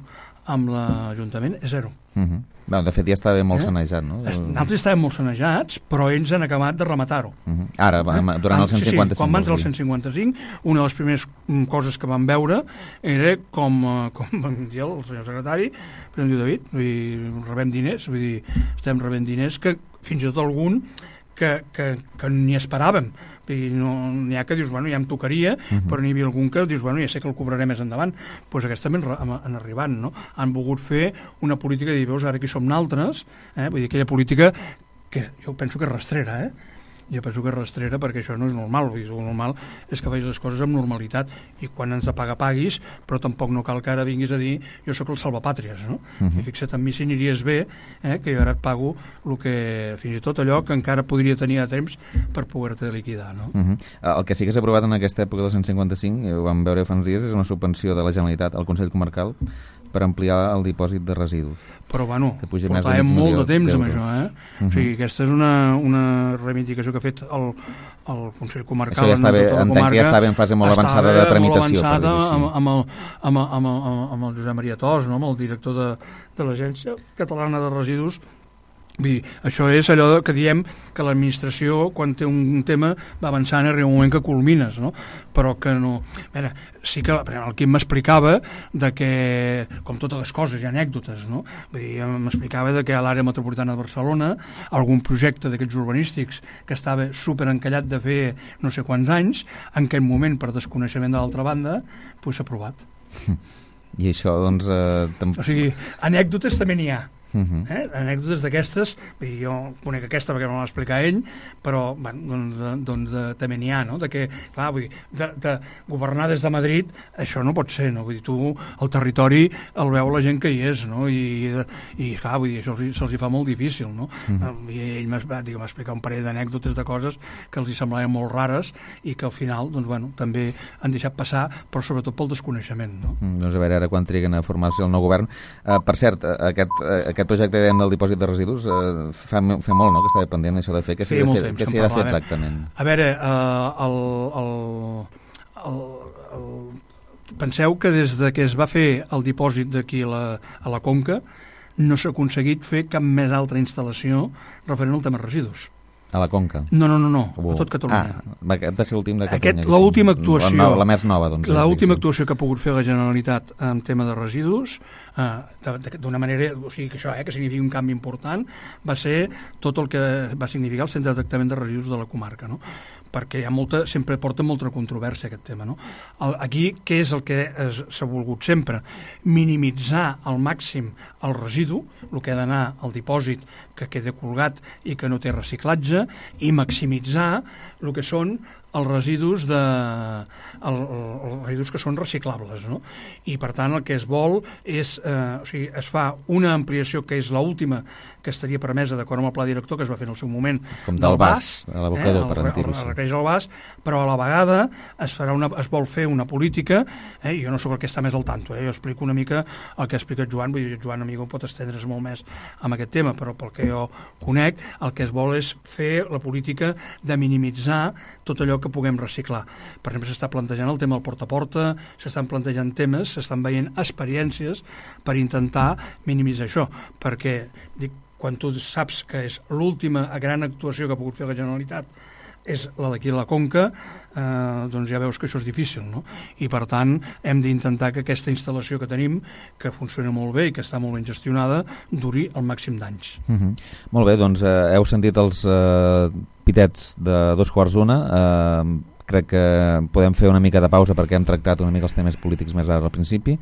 S3: amb l'Ajuntament és zero.
S2: Uh-huh. Bueno, de fet ja estava molt eh? sanejat, no?
S3: Nosaltres estàvem molt sanejats, però ells han acabat de rematar-ho.
S2: Uh-huh. Ara, eh? durant el cent cinquanta-cinc.
S3: Sí, sí, quan van entrar el cent cinquanta-cinc, una de les primeres coses que vam veure era com, com vam dir el senyor secretari, però em diu David, vull dir, rebem diners, vull dir, estem rebent diners que fins i tot algun que, que, que ni esperàvem. I no, n'hi ha que dius, bueno, ja em tocaria, uh-huh. però n'hi havia algun que dius, bueno, ja sé que el cobraré més endavant. Doncs pues aquests també han, han arribat, no? Han volgut fer una política de dir, veus, ara aquí som naltres, eh? Vull dir, aquella política que jo penso que és rastrera, eh? Jo penso que és rastrera perquè això no és normal. Vull dir, el normal és que facis les coses amb normalitat i quan ens de pagar paguis, però tampoc no cal que ara vinguis a dir jo sóc el salvapàtries, no? Uh-huh. I fixa't en mi si aniries bé, eh, que jo ara et pago el que, fins i tot allò que encara podria tenir a temps per poder-te liquidar, no?
S2: Uh-huh. El que sí que s'ha aprovat en aquesta època del cent cinquanta-cinc, ho vam veure fa uns dies, és una subvenció de la Generalitat al Consell Comarcal per ampliar el dipòsit de residus.
S3: Però, bueno, portàvem molt de temps amb això, eh? Uh-huh. O sigui, aquesta és una, una reivindicació que ha fet el, el Consell Comarcal.
S2: Això ja està bé, entenc comarca, que ja estava en fase molt avançada de tramitació.
S3: Molt avançada amb, amb, el, amb, amb, amb, amb el Josep Maria Tos, no? Amb el director de, de l'Agència Catalana de Residus. Vull dir, això és allò que diem que l'administració, quan té un tema, va avançant i arriba un moment que culmines, no? Però que no... A veure, sí que el Quim m'explicava de que, com totes les coses, hi ha anècdotes, no? Vull dir, m'explicava de que a l'àrea metropolitana de Barcelona algun projecte d'aquests urbanístics que estava superencallat de fer no sé quants anys, en aquest moment, per desconeixement de l'altra banda, doncs s'ha aprovat.
S2: I això, doncs... Eh, tam...
S3: O sigui, anècdotes també n'hi ha.
S2: Uh-huh.
S3: Eh? Anècdotes d'aquestes, jo conec aquesta perquè me l'ha explicat ell, però bueno, doncs, doncs de, també n'hi ha, no? De que, clar, vull dir, de, de governar des de Madrid, això no pot ser, no? Vull dir, tu el territori el veu la gent que hi és, no? I, i clar, vull dir, això se'ls, se'ls hi fa molt difícil, no? Uh-huh. I ell m'ha explicat un parell d'anècdotes de coses que els hi semblaven molt rares i que al final, doncs, bueno, també han deixat passar, però sobretot pel desconeixement, no?
S2: Mm, doncs a veure ara quan triguen a formar-se el nou govern. Uh, per cert, aquest, uh, aquest projecte del dipòsit de residus uh, fa, fa molt, no?, que estava pendent això de fer. Què s'hi ha de fer, que de fer exactament?
S3: A veure, uh, el, el, el, el, penseu que des de que es va fer el dipòsit d'aquí a, la, a la Conca no s'ha aconseguit fer cap més altra instal·lació referent al tema residus.
S2: A la Conca?
S3: No, no, no, no. A tot Catalunya.
S2: Ah, aquest va ser l'últim de Catalunya.
S3: L'última actuació...
S2: La, la més nova, doncs.
S3: L'última actuació que ha pogut fer la Generalitat en tema de residus, eh, d'una manera, o sigui, que això, eh, que significa un canvi important, va ser tot el que va significar el centre de tractament de residus de la comarca, no? Perquè hi ha molta, sempre porta molta controvèrsia aquest tema, no? El, aquí, què és el que s'ha volgut sempre? Minimitzar al màxim el residu, el que ha d'anar al dipòsit que queda colgat i que no té reciclatge, i maximitzar el que són els residus de el, els residus que són reciclables, no? I per tant el que es vol és, eh, o sigui, es fa una ampliació que és l'última que estaria permesa d'acord amb el pla director que es va fer en el seu moment
S2: com del bas, a l'abocador, eh, per
S3: entendre-ho. El requereix el bas, però a la vegada es farà una, es vol fer una política, eh, jo no sóc el que està més al tanto, eh, jo explico una mica el que explica Joan, vull dir, Joan amigo pot estendre's molt més amb aquest tema, però pel que jo conec, el que es vol és fer la política de minimitzar tot allò que puguem reciclar. Per exemple, s'està plantejant el tema del porta a porta, s'estan plantejant temes, s'estan veient experiències per intentar minimitzar això, perquè dic, quan tu saps que és l'última gran actuació que ha pogut fer la Generalitat és la d'aquí a la Conca, eh, doncs ja veus que això és difícil, no? I per tant hem d'intentar que aquesta instal·lació que tenim, que funciona molt bé i que està molt ben gestionada, duri el màxim d'anys.
S2: Uh-huh. Molt bé, doncs eh, heu sentit els eh, pitets de dos quarts d'una. Eh, crec que podem fer una mica de pausa perquè hem tractat una mica els temes polítics més ara al principi.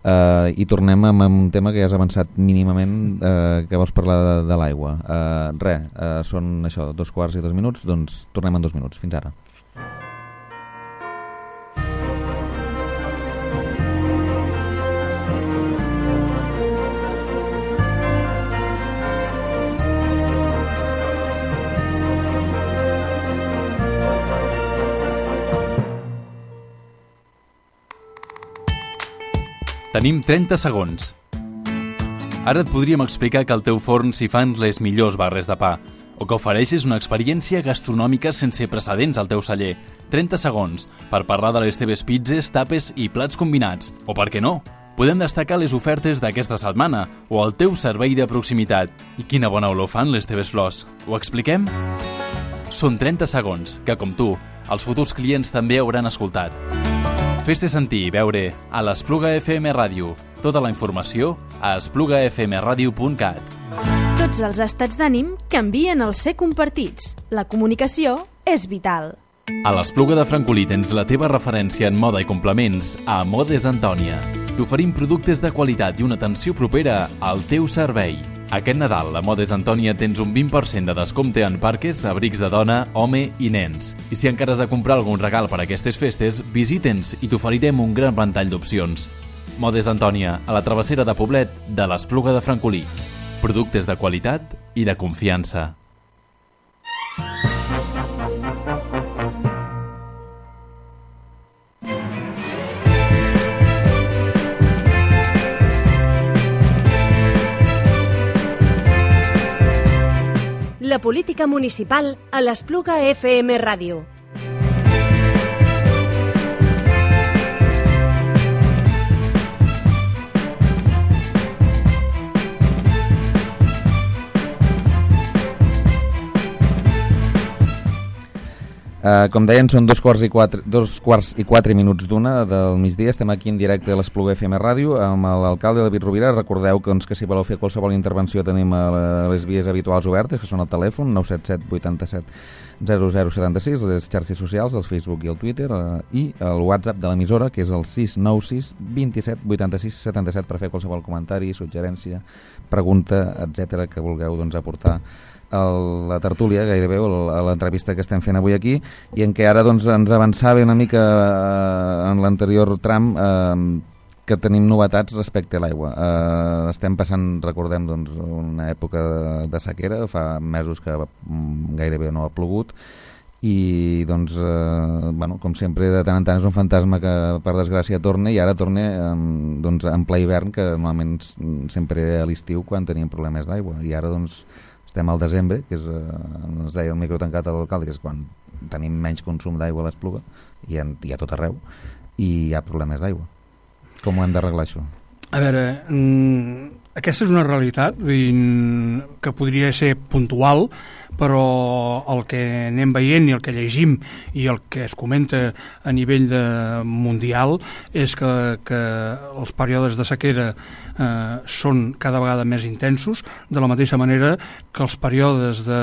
S2: Uh, i tornem amb un tema que ja has avançat mínimament, uh, que vols parlar de, de l'aigua. Uh, res, uh, són això, dos quarts i dos minuts, doncs tornem en dos minuts. Fins ara.
S4: Tenim trenta segons. Ara et podríem explicar que al teu forn s'hi fan les millors barres de pa, o que ofereixes una experiència gastronòmica sense precedents al teu celler. trenta segons per parlar de les teves pizzas, tapes i plats combinats. O per què no? Podem destacar les ofertes d'aquesta setmana o el teu servei de proximitat. I quina bona olor fan les teves flors. Ho expliquem? Són trenta segons que, com tu, els futurs clients també hauran escoltat. Fes-te sentir i veure a l'Espluga F M Ràdio. Tota la informació a espluga f m radio punt cat.
S1: Tots els estats d'ànim canvien al ser compartits. La comunicació és vital.
S4: A l'Espluga de Francolí tens la teva referència en moda i complements a Modes Antònia. T'oferim productes de qualitat i una atenció propera al teu servei. Aquest Nadal a Modes Antònia tens un vint per cent de descompte en parques, abrics de dona, home i nens. I si encara has de comprar algun regal per a aquestes festes, visita'ns i t'oferirem un gran ventall d'opcions. Modes Antònia, a la travessera de Poblet de l'Espluga de Francolí. Productes de qualitat i de confiança.
S1: La política municipal a l'Espluga F M Ràdio.
S2: Uh, com deien, són dos quarts i quatre, dos quarts i quatre minuts d'una del migdia. Estem aquí en directe a l'Espluga F M Ràdio amb l'alcalde David Rovira. Recordeu que, doncs, que si voleu fer qualsevol intervenció tenim a les vies habituals obertes, que són el telèfon nou set set vuit set zero zero set sis, les xarxes socials, el Facebook i el Twitter, uh, i el WhatsApp de l'emissora, que és el sis nou sis dos set vuit sis set set, per fer qualsevol comentari, suggerència, pregunta, etcètera, que vulgueu, doncs, aportar a la tertúlia, gairebé, a l'entrevista que estem fent avui aquí, i en què ara, doncs, ens avançava una mica eh, en l'anterior tram eh, que tenim novetats respecte a l'aigua. Eh, estem passant, recordem, doncs, una època de, de sequera, fa mesos que mm, gairebé no ha plogut, i doncs, eh, bueno, com sempre, de tant en tant és un fantasma que per desgràcia torna, i ara torna eh, doncs, en ple hivern, que normalment sempre a l'estiu quan teníem problemes d'aigua, i ara doncs estem al desembre, que és, eh, ens deia el micro tancat a l'alcalde, que és quan tenim menys consum d'aigua a l'Espluga, i a, i a tot arreu, i hi ha problemes d'aigua. Com ho hem d'arreglar, això?
S3: A veure, mmm, aquesta és una realitat que podria ser puntual, però el que anem veient i el que llegim i el que es comenta a nivell de mundial és que, que els períodes de sequera eh, són cada vegada més intensos, de la mateixa manera que els períodes de,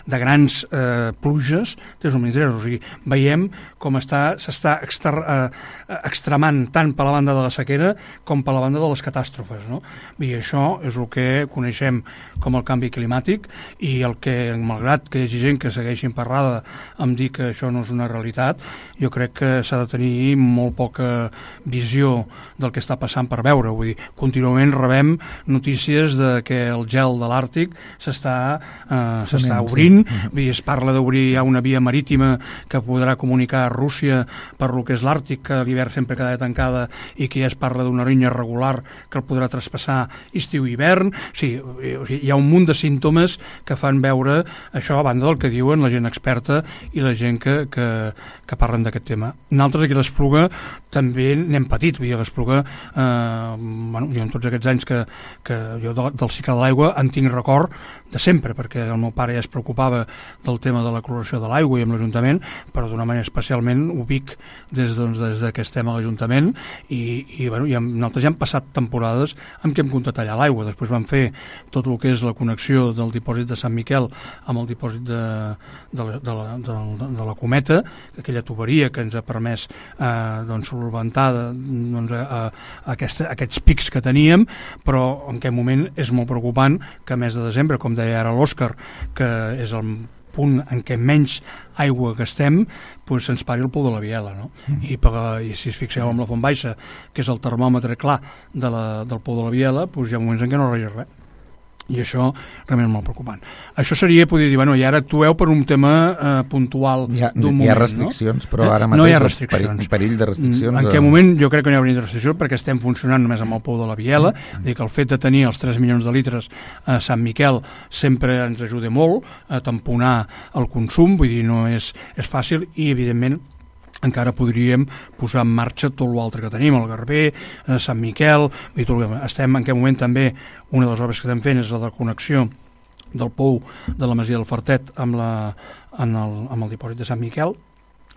S3: de grans eh, pluges tenen un interès. O sigui, veiem com està, s'està exter, eh, extremant tant per la banda de la sequera com per la banda de les catàstrofes, no? I això això és el que coneixem com el canvi climàtic, i el que, malgrat que hi hagi gent que segueixi emparrada amb dir que això no és una realitat, jo crec que s'ha de tenir molt poca visió del que està passant per veure. Vull dir, contínuament rebem notícies de que el gel de l'Àrtic s'està eh, s'està obrint, sí. Vull dir, es parla d'obrir ja una via marítima que podrà comunicar a Rússia per lo que és l'Àrtic, que l'hivern sempre quedarà tancada, i que ja es parla d'una línia regular que el podrà traspassar estiu-hivern. Sí, o sigui, hi ha un munt de símptomes que fan veure això a banda del que diuen la gent experta i la gent que, que, que parlen d'aquest tema. Nosaltres aquí a l'Espluga també n'hem patit. Vull dir, a l'Espluga, eh, bueno, jo en tots aquests anys que, que jo de, del cicle de l'aigua en tinc record de sempre, perquè el meu pare ja es preocupava del tema de la cloració de l'aigua i amb l'Ajuntament, però d'una manera especialment ubic des, doncs, des que estem a l'Ajuntament, i, i, bueno, i amb, nosaltres ja hem passat temporades en què hem comptat tallar l'aigua. Després vam fer tot el que és la connexió del dipòsit de Sant Miquel amb el dipòsit de, de, la, de, la, de, la, de la Cometa, aquella tuberia que ens ha permès eh, doncs, solventar doncs, a, a aquesta, aquests pics que teníem, però en aquest moment és molt preocupant que a mes de desembre, com deia ara l'Òscar, que és el punt en què menys aigua gastem, doncs se'ns pari el pou de la Biela, no? Mm. I, per, i si es fixeu amb la Font Baixa, que és el termòmetre clar de la, del pou de la Biela, doncs hi ha moments en què no regeix res. I això realment és molt preocupant. Això seria, podria dir, bueno, i ara actueu per un tema eh, puntual d'un moment.
S2: Hi ha restriccions, no? Però ara mateix
S3: no hi ha restriccions.
S2: Perill, perill de restriccions.
S3: En aquest moment jo crec que no hi ha perill de restriccions perquè estem funcionant només amb el pou de la Biela, mm. dir que el fet de tenir els tres milions de litres a Sant Miquel sempre ens ajuda molt a tamponar el consum, vull dir, no és, és fàcil, i evidentment encara podríem posar en marxa tot l'altre que tenim, el Garber, eh, Sant Miquel, i tot el que estem en aquest moment també. Una de les obres que estem fent és la de connexió del pou de la Masia del Fartet amb, la, en el, amb el dipòsit de Sant Miquel.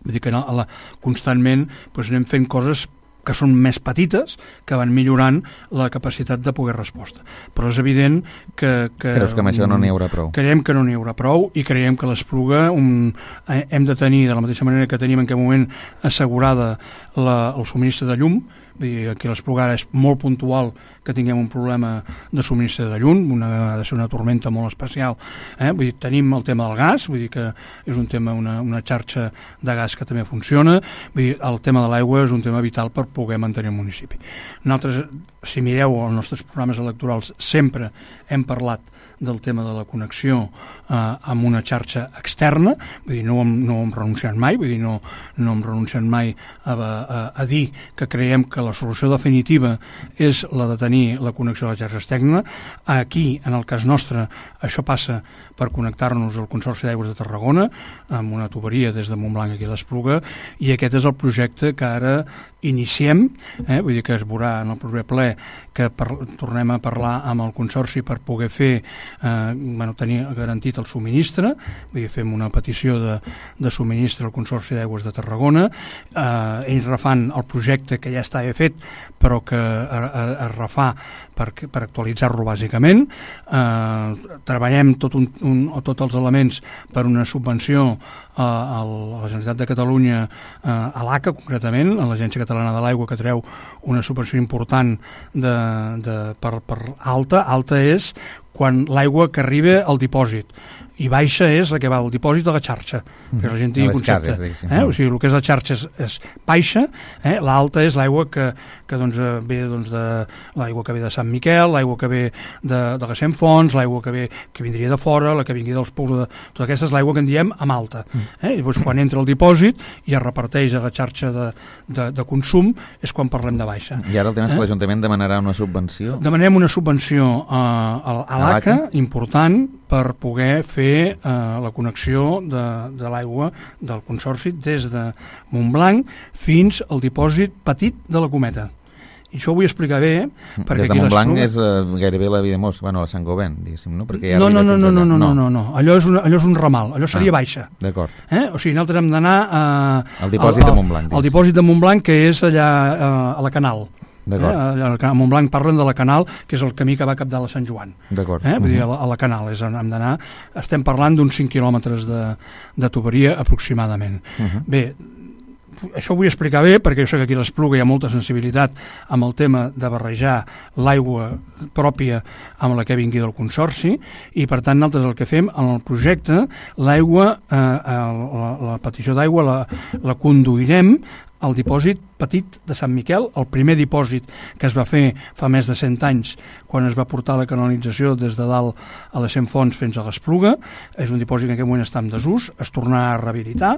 S3: Vull dir que a la, constantment doncs, anem fent coses que són més petites, que van millorant la capacitat de poder resposta. Però és evident que... que
S2: Creus que amb això no n'hi haurà prou?
S3: Creiem que no n'hi haurà prou, i creiem que l'Espluga un, hem de tenir, de la mateixa manera que tenim en aquest moment assegurada la, el subministre de llum. Aquí a l'Espluga és molt puntual que tinguem un problema de subministre de llum, una, ha de ser una tormenta molt especial. Eh? Vull dir, tenim el tema del gas, vull dir que és un tema, una, una xarxa de gas que també funciona. Vull dir, el tema de l'aigua és un tema vital per poder mantenir el municipi. Nosaltres, si mireu els nostres programes electorals, sempre hem parlat del tema de la connexió eh, amb una xarxa externa, vull dir, no hem, no hem renunciat mai, vull dir, no, no hem renunciat mai a, a, a dir que creiem que la solució definitiva és la de tenir la connexió a la xarxa externa. Aquí, en el cas nostre, això passa per connectar-nos al Consorci d'Aigües de Tarragona amb una tuberia des de Montblanc aquí a l'Espluga, i aquest és el projecte que ara iniciem, eh? Vull dir que es veurà en el proper ple que per, tornem a parlar amb el Consorci per poder fer, eh, bueno, tenir garantit el subministre. Vull dir, fem una petició de, de subministre al Consorci d'Aigües de Tarragona, eh, ells refan el projecte que ja estava fet però que es refà per, per actualitzar-lo bàsicament. Eh, treballem tot un, un, tots els elements per una subvenció a, a la Generalitat de Catalunya, a l'A C A concretament, a l'Agència Catalana de l'Aigua, que treu una subvenció important de, de, per, per alta. Alta és quan l'aigua que arriba al dipòsit, i baixa és la que va al dipòsit de la xarxa, mm. perquè la gent tingui concepte. Cases, eh? O sigui, el que és la xarxa és, és baixa, eh? L'alta és l'aigua que, que doncs, ve doncs, de l'aigua que ve de Sant Miquel, l'aigua que ve de, de les cent fonts, l'aigua que ve que vindria de fora, la que vingui dels pous de... Tota aquesta és l'aigua que en diem amb alta. Mm. Eh? I doncs, quan entra al dipòsit i es reparteix a la xarxa de, de, de consum és quan parlem de baixa.
S2: I ara el tema és que eh? l'Ajuntament demanarà una subvenció?
S3: Demanem una subvenció a, a, a l'A C A, important, per poder fer eh, la connexió de, de l'aigua del Consorci des de Montblanc fins al dipòsit petit de la Cometa. I això ho vull explicar bé, perquè
S2: des de Montblanc és uh, gairebé la Videmós, bueno, la Sant Govern, diguéssim, no? Perquè
S3: no, no, no, no, no, no, no, no, no, allò és, una, allò és un ramal, allò seria ah, baixa.
S2: D'acord.
S3: Eh? O sigui, nosaltres hem d'anar uh,
S2: al dipòsit al, de Montblanc.
S3: Al dipòsit de Montblanc, que és allà uh, a la Canal. Eh? A Montblanc parlen de la Canal, que és el camí que va cap de la Sant Joan.
S2: D'acord.
S3: Eh? Vull dir, a la, a la Canal és on hem d'anar. Estem parlant d'uns cinc quilòmetres de, de tuberia aproximadament. Uh -huh. Bé, això ho vull explicar bé, perquè jo sé que aquí a l'Espluga hi ha molta sensibilitat amb el tema de barrejar l'aigua pròpia amb la que vingui del Consorci, i per tant nosaltres el que fem en el projecte, l'aigua, eh, la, la petició d'aigua la, la conduirem al dipòsit petit de Sant Miquel, el primer dipòsit que es va fer fa més de cent anys, quan es va portar la canalització des de dalt a les cent Fonts fins a l'Espluga. És un dipòsit que en aquest moment està en desús, es tornarà a rehabilitar,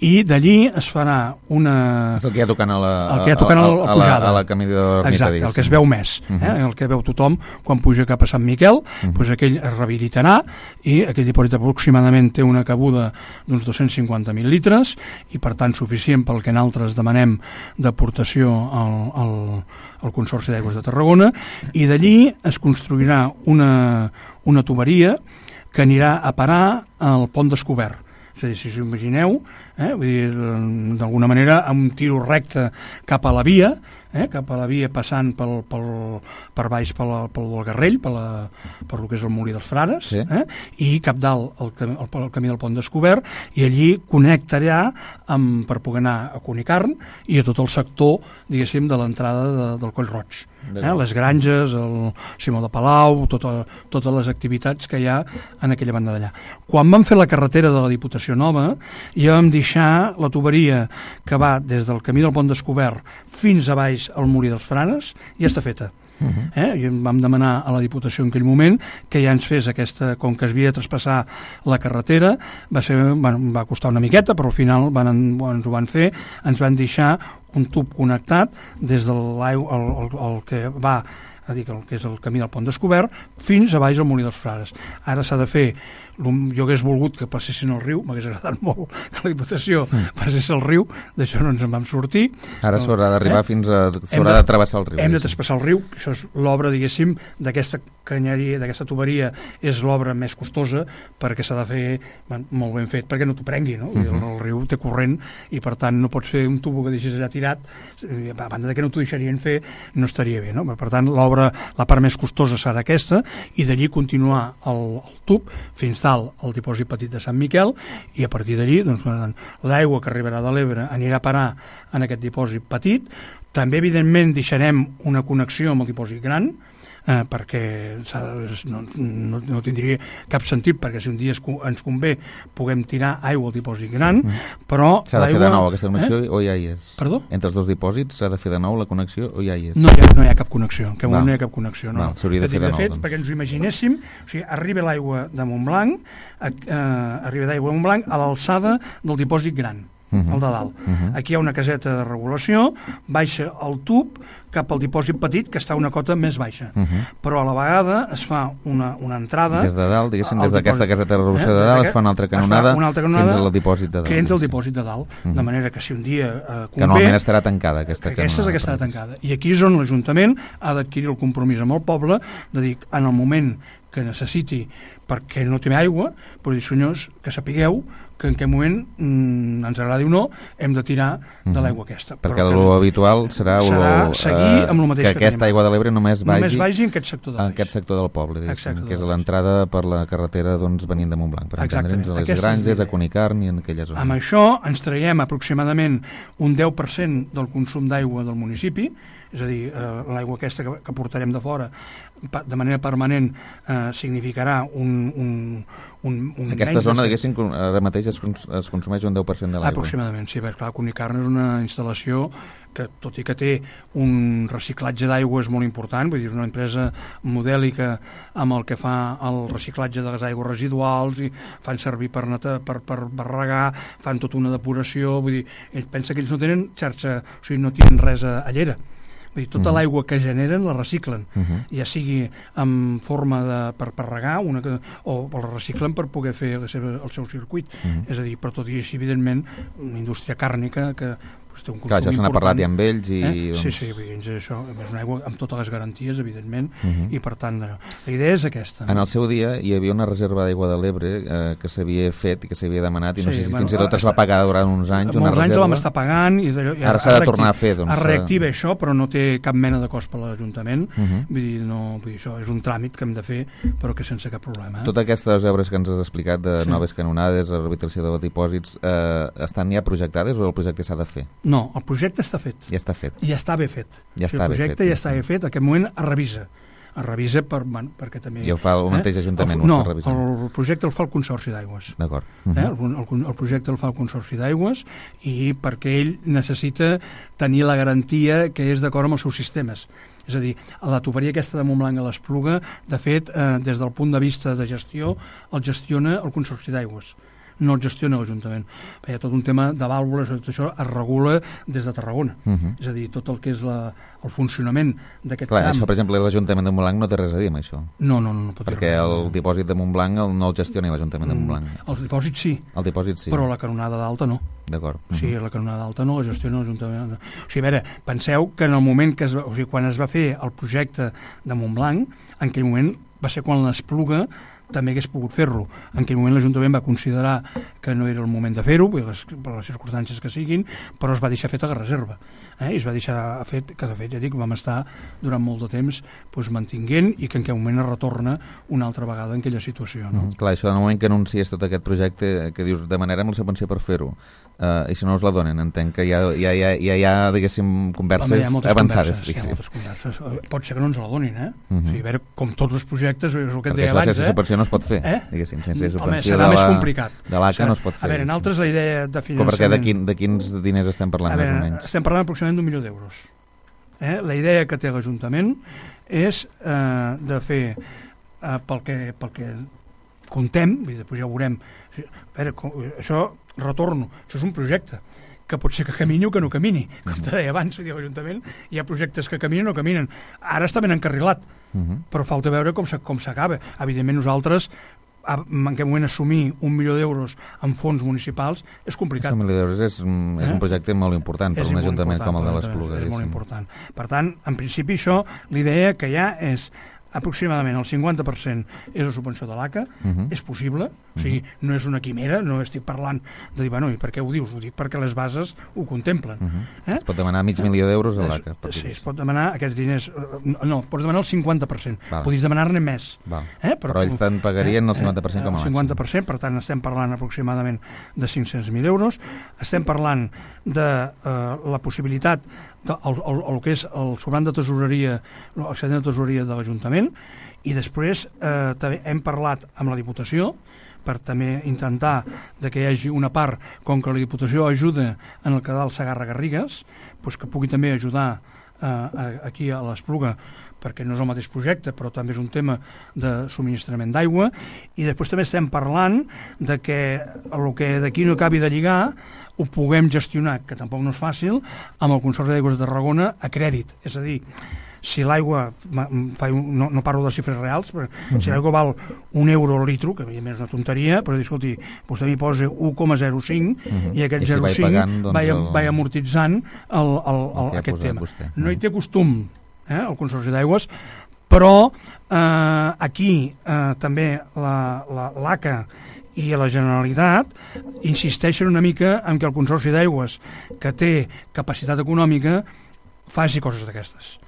S3: i d'allí es farà una...
S2: És el que hi ha tocant a la,
S3: el que hi ha tocant a, a, a,
S2: a, la, a la camí de l'ermita.
S3: Exacte, el que es veu més, uh -huh. eh? el que veu tothom quan puja cap a Sant Miquel, uh -huh. doncs aquell es rehabilitarà, i aquell dipòsit aproximadament té una cabuda d'uns dos-cents cinquanta mil litres, i per tant suficient pel que nosaltres demanem d'aportació al, al, al Consorci d'Aigües de Tarragona, i d'allí es construirà una, una tuberia que anirà a parar al Pont Descobert. És a dir, si us imagineu, eh, vull dir, d'alguna manera, amb un tiro recte cap a la via, eh, cap a la via passant pel, pel, per baix pel, pel del Garrell, per, la, per el que és el Molí dels Frares, sí. eh, i cap dalt el, el, el camí del Pont Descobert, i allí connectarà amb, per poder anar a Cunicarn i a tot el sector, diguéssim, de l'entrada de, del Coll Roig. Eh, les granges, el Simó de Palau, tota, totes les activitats que hi ha en aquella banda d'allà. Quan vam fer la carretera de la Diputació Nova, ja vam deixar la tuberia que va des del camí del Pont Descobert fins a baix al Molí dels Frares, ja està feta. Uh-huh. eh? I vam demanar a la Diputació en aquell moment que ja ens fes aquesta, com que es havia de traspassar la carretera, va, ser, bueno, va costar una miqueta, però al final van, ens ho van fer, ens van deixar un tub connectat des de l'aigua, el, el, el que va, a dir, el que és el camí del Pont Descobert, fins a baix al Molí dels Frares. Ara s'ha de fer, jo hagués volgut que passessin al riu, m'hagués agradat molt que la Diputació passés al riu, d'això no ens en vam sortir.
S2: Ara s'haurà d'arribar eh? fins a... s'haurà de, de travessar el riu.
S3: Hem de traspassar el riu, això és l'obra, diguéssim, d'aquesta canyeria, d'aquesta tuberia, és l'obra més costosa, perquè s'ha de fer ben, molt ben fet, perquè no t'ho prengui, no? Uh -huh. el, el riu té corrent, i per tant no pots fer un tubo que deixis allà tirat, a banda de que no t'ho deixarien fer, no estaria bé, no? Per tant, l'obra, la part més costosa serà aquesta, i d'allí continuar el, el tub fins dalt al dipòsit petit de Sant Miquel, i a partir d'allí doncs, l'aigua que arribarà de l'Ebre anirà a parar en aquest dipòsit petit. També, evidentment, deixarem una connexió amb el dipòsit gran, eh, perquè no, no, no tindria cap sentit, perquè si un dia ens convé puguem tirar aigua al dipòsit gran, però...
S2: S'ha de fer de nou aquesta connexió, eh? O ja hi és?
S3: Perdó?
S2: Entre els dos dipòsits s'ha de fer de nou la connexió o ja hi és?
S3: No hi ha, no hi ha cap connexió, que no hi ha cap connexió. No.
S2: S'hauria de fer de nou.
S3: De fet, doncs. Perquè ens ho imaginéssim, o sigui, arriba l'aigua de Montblanc, eh, arriba d'aigua de Montblanc a l'alçada del dipòsit gran, uh -huh. el de dalt. Uh -huh. Aquí hi ha una caseta de regulació, baixa el tub cap al dipòsit petit, que està a una cota més baixa. Uh -huh. Però a la vegada es fa una, una entrada...
S2: Des de dalt, diguéssim, des d'aquesta caseta de regulació eh? de dalt, es fa una altra canonada,
S3: una altra canonada
S2: fins al dipòsit de dalt.
S3: Que entra al dipòsit de dalt, uh -huh. de manera que si un dia eh, convé...
S2: Que normalment estarà tancada, aquesta canonada.
S3: Aquesta és la que estarà tancada. I aquí és on l'Ajuntament ha d'adquirir el compromís amb el poble, de dir, en el moment que necessiti, perquè no té aigua, però dir, senyors, que sapigueu que en aquest moment, mm, ens agradi o no, hem de tirar de l'aigua aquesta.
S2: Perquè lo habitual serà,
S3: serà seguir amb el mateix
S2: que, que aquesta tenim. Aigua de l'Ebre només vagi,
S3: només vagi en aquest sector de
S2: en aquest sector del poble, que és l'entrada per la carretera doncs, venint de Montblanc, per entendre'ns, a les aquesta granges, a Cunicarn i en aquella zona.
S3: Amb això ens traiem aproximadament un deu per cent del consum d'aigua del municipi, és a dir, eh, l'aigua aquesta que, que portarem de fora de manera permanent eh, significarà un, un, un, un
S2: aquesta zona, diguéssim, ara mateix es, cons es consumeix un deu per cent de l'aigua.
S3: Aproximadament, sí, perquè clar, Cunicarn és una instal·lació que, tot i que té un reciclatge d'aigües molt important, vull dir, és una empresa modèlica amb el que fa el reciclatge de les aigües residuals, i fan servir per, neta, per, per, per regar, fan tota una depuració, vull dir, ells pensa que ells no tenen xarxa, o sigui, no tenen res a, a llera. Vull dir, tota uh -huh. l'aigua que generen la reciclen, uh -huh. ja sigui en forma de, per, per regar una, o, o la reciclen per poder fer la seva, el seu circuit. Uh -huh. És a dir, però tot i així, evidentment, una indústria càrnica que té un consum
S2: Clar, això se n'ha parlat ja amb ells i...
S3: Eh? Doncs... Sí, sí, vull dir, això és una aigua amb totes les garanties, evidentment, uh -huh. i per tant, la idea és aquesta.
S2: En el seu dia hi havia una reserva d'aigua de l'Ebre eh, que s'havia fet i que s'havia demanat, i no sí, sé si bueno, fins i tot es va pagar durant uns anys una
S3: molts
S2: reserva.
S3: anys la vam estar pagant, i, i
S2: ara s'ha de tornar a fer. Doncs,
S3: es reactiva això, però no té cap mena de cost per l'Ajuntament, uh -huh. vull dir, no, vull dir, això és un tràmit que hem de fer, però que sense cap problema. Eh?
S2: Totes aquestes obres que ens has explicat, de sí. noves canonades, la rehabilitació de dipòsits, eh, estan ja projectades o el projecte s'ha de fer?
S3: No, el projecte està fet.
S2: Ja està fet.
S3: I ja està bé fet.
S2: Ja està
S3: el projecte
S2: bé fet,
S3: ja està bé fet, en aquest moment es revisa. Es revisa per, bueno, perquè també...
S2: I ho fa el mateix Ajuntament?
S3: El, no,
S2: el,
S3: el projecte el fa el Consorci d'Aigües.
S2: D'acord.
S3: Uh -huh. eh? el, el, el projecte el fa el Consorci d'Aigües i perquè ell necessita tenir la garantia que és d'acord amb els seus sistemes. És a dir, la tuberia aquesta de Montblanc a l'Espluga, de fet, eh, des del punt de vista de gestió, el gestiona el Consorci d'Aigües, no el gestiona l'Ajuntament. Hi ha tot un tema de vàlvules, tot això es regula des de Tarragona. Uh -huh. És a dir, tot el que és la, el funcionament d'aquest
S2: Clar,
S3: tram...
S2: Això, per exemple, l'Ajuntament de Montblanc no té res a dir amb això.
S3: No, no, no, no pot dir
S2: Perquè
S3: res.
S2: el dipòsit de Montblanc el, no el gestiona l'Ajuntament de Montblanc.
S3: Mm, el dipòsit sí.
S2: El dipòsit sí.
S3: Però la canonada d'alta no.
S2: D'acord. Uh -huh.
S3: Sí, la canonada d'alta no la gestiona l'Ajuntament. O sigui, a veure, penseu que en el moment que es va, o sigui, quan es va fer el projecte de Montblanc, en aquell moment va ser quan l'Espluga també hagués pogut fer-lo. En aquell moment l'Ajuntament va considerar que no era el moment de fer-ho, per les, per les circumstàncies que siguin, però es va deixar fet a reserva. Eh? I es va deixar fet, que de fet, ja dic, vam estar durant molt de temps doncs, mantinguent i que en aquell moment es retorna una altra vegada en aquella situació. No?
S2: Mm, clar, això en el moment que anuncies tot aquest projecte, que dius, demanarem la subvenció per fer-ho, Uh, i si no us la donen, entenc que hi ha, hi ha, hi ha, hi ha diguéssim, converses
S3: Home, hi ha moltes
S2: avançades.
S3: Converses, hi ha moltes converses. Pot ser que no ens la donin, eh? Uh -huh. O sigui, a veure, com tots els projectes, és el que et deia abans, eh?
S2: Perquè sense subvenció no es pot fer,
S3: eh?
S2: diguéssim, sense subvenció
S3: Home, serà més complicat.
S2: De l'A C A no es pot fer.
S3: A veure, en altres la idea de finançament...
S2: Però perquè de, quin, de quins diners estem parlant,
S3: a veure,
S2: més o menys?
S3: Estem parlant aproximadament d'un milió d'euros. Eh? La idea que té l'Ajuntament és eh, de fer, eh, pel, que, pel que contem, i després ja ho veurem, a veure, com, això, retorno, això és un projecte, que pot ser que camini o que no camini. Com te deia abans, l'Ajuntament, hi ha projectes que caminen o no caminen. Ara està ben encarrilat, uh -huh. però falta veure com s'acaba. Evidentment, nosaltres, en aquest moment, assumir un milió d'euros en fons municipals és complicat.
S2: Un milió d'euros és, és eh? un projecte molt important per un ajuntament com el de l'Espluga.
S3: És molt important. Per tant, en principi, això, l'idea que hi ha és aproximadament el cinquanta per cent és la subvenció de l'A C A, uh -huh. és possible, o sigui, no és una quimera, no estic parlant de dir, bueno, i per què ho dius? Ho dic perquè les bases ho contemplen. Uh -huh. eh?
S2: Es pot demanar mig milió d'euros a l'A C A.
S3: Sí, es pot demanar aquests diners, no, pots demanar el cinquanta per cent, Val. Podries demanar-ne més.
S2: Eh? Però, Però ells te'n pagarien eh? el cinquanta per cent com a màxim.
S3: El cinquanta per cent, per tant, estem parlant aproximadament de cinc-cents mil euros, estem parlant de eh, la possibilitat el, el, el que és el sobrant de tesoreria, l'excedent de tesoreria de l'Ajuntament, i després eh, també hem parlat amb la Diputació per també intentar de que hi hagi una part, com que la Diputació ajuda en el Cadal Segarra-Garrigues, doncs que pugui també ajudar eh, aquí a l'Espluga, perquè no és el mateix projecte, però també és un tema de subministrament d'aigua, i després també estem parlant de que el que d'aquí no acabi de lligar ho puguem gestionar, que tampoc no és fàcil, amb el Consorci d'Aigües de Tarragona a crèdit, és a dir, si l'aigua, no, no parlo de xifres reals, però uh-huh. si l'aigua val un euro al litro, que evidentment és una tonteria, però escolti, vostè m'hi posa un coma zero cinc uh-huh. i aquest I si zero coma cinc pagant, doncs, vaig, el... vaig amortitzant el, el, el, el aquest tema. Vostè. No hi té costum, eh, el Consorci d'Aigües, però eh, aquí eh, també la, la, l'A C A i a la Generalitat insisteixen una mica en que el Consorci d'Aigües, que té capacitat econòmica, faci coses d'aquestes.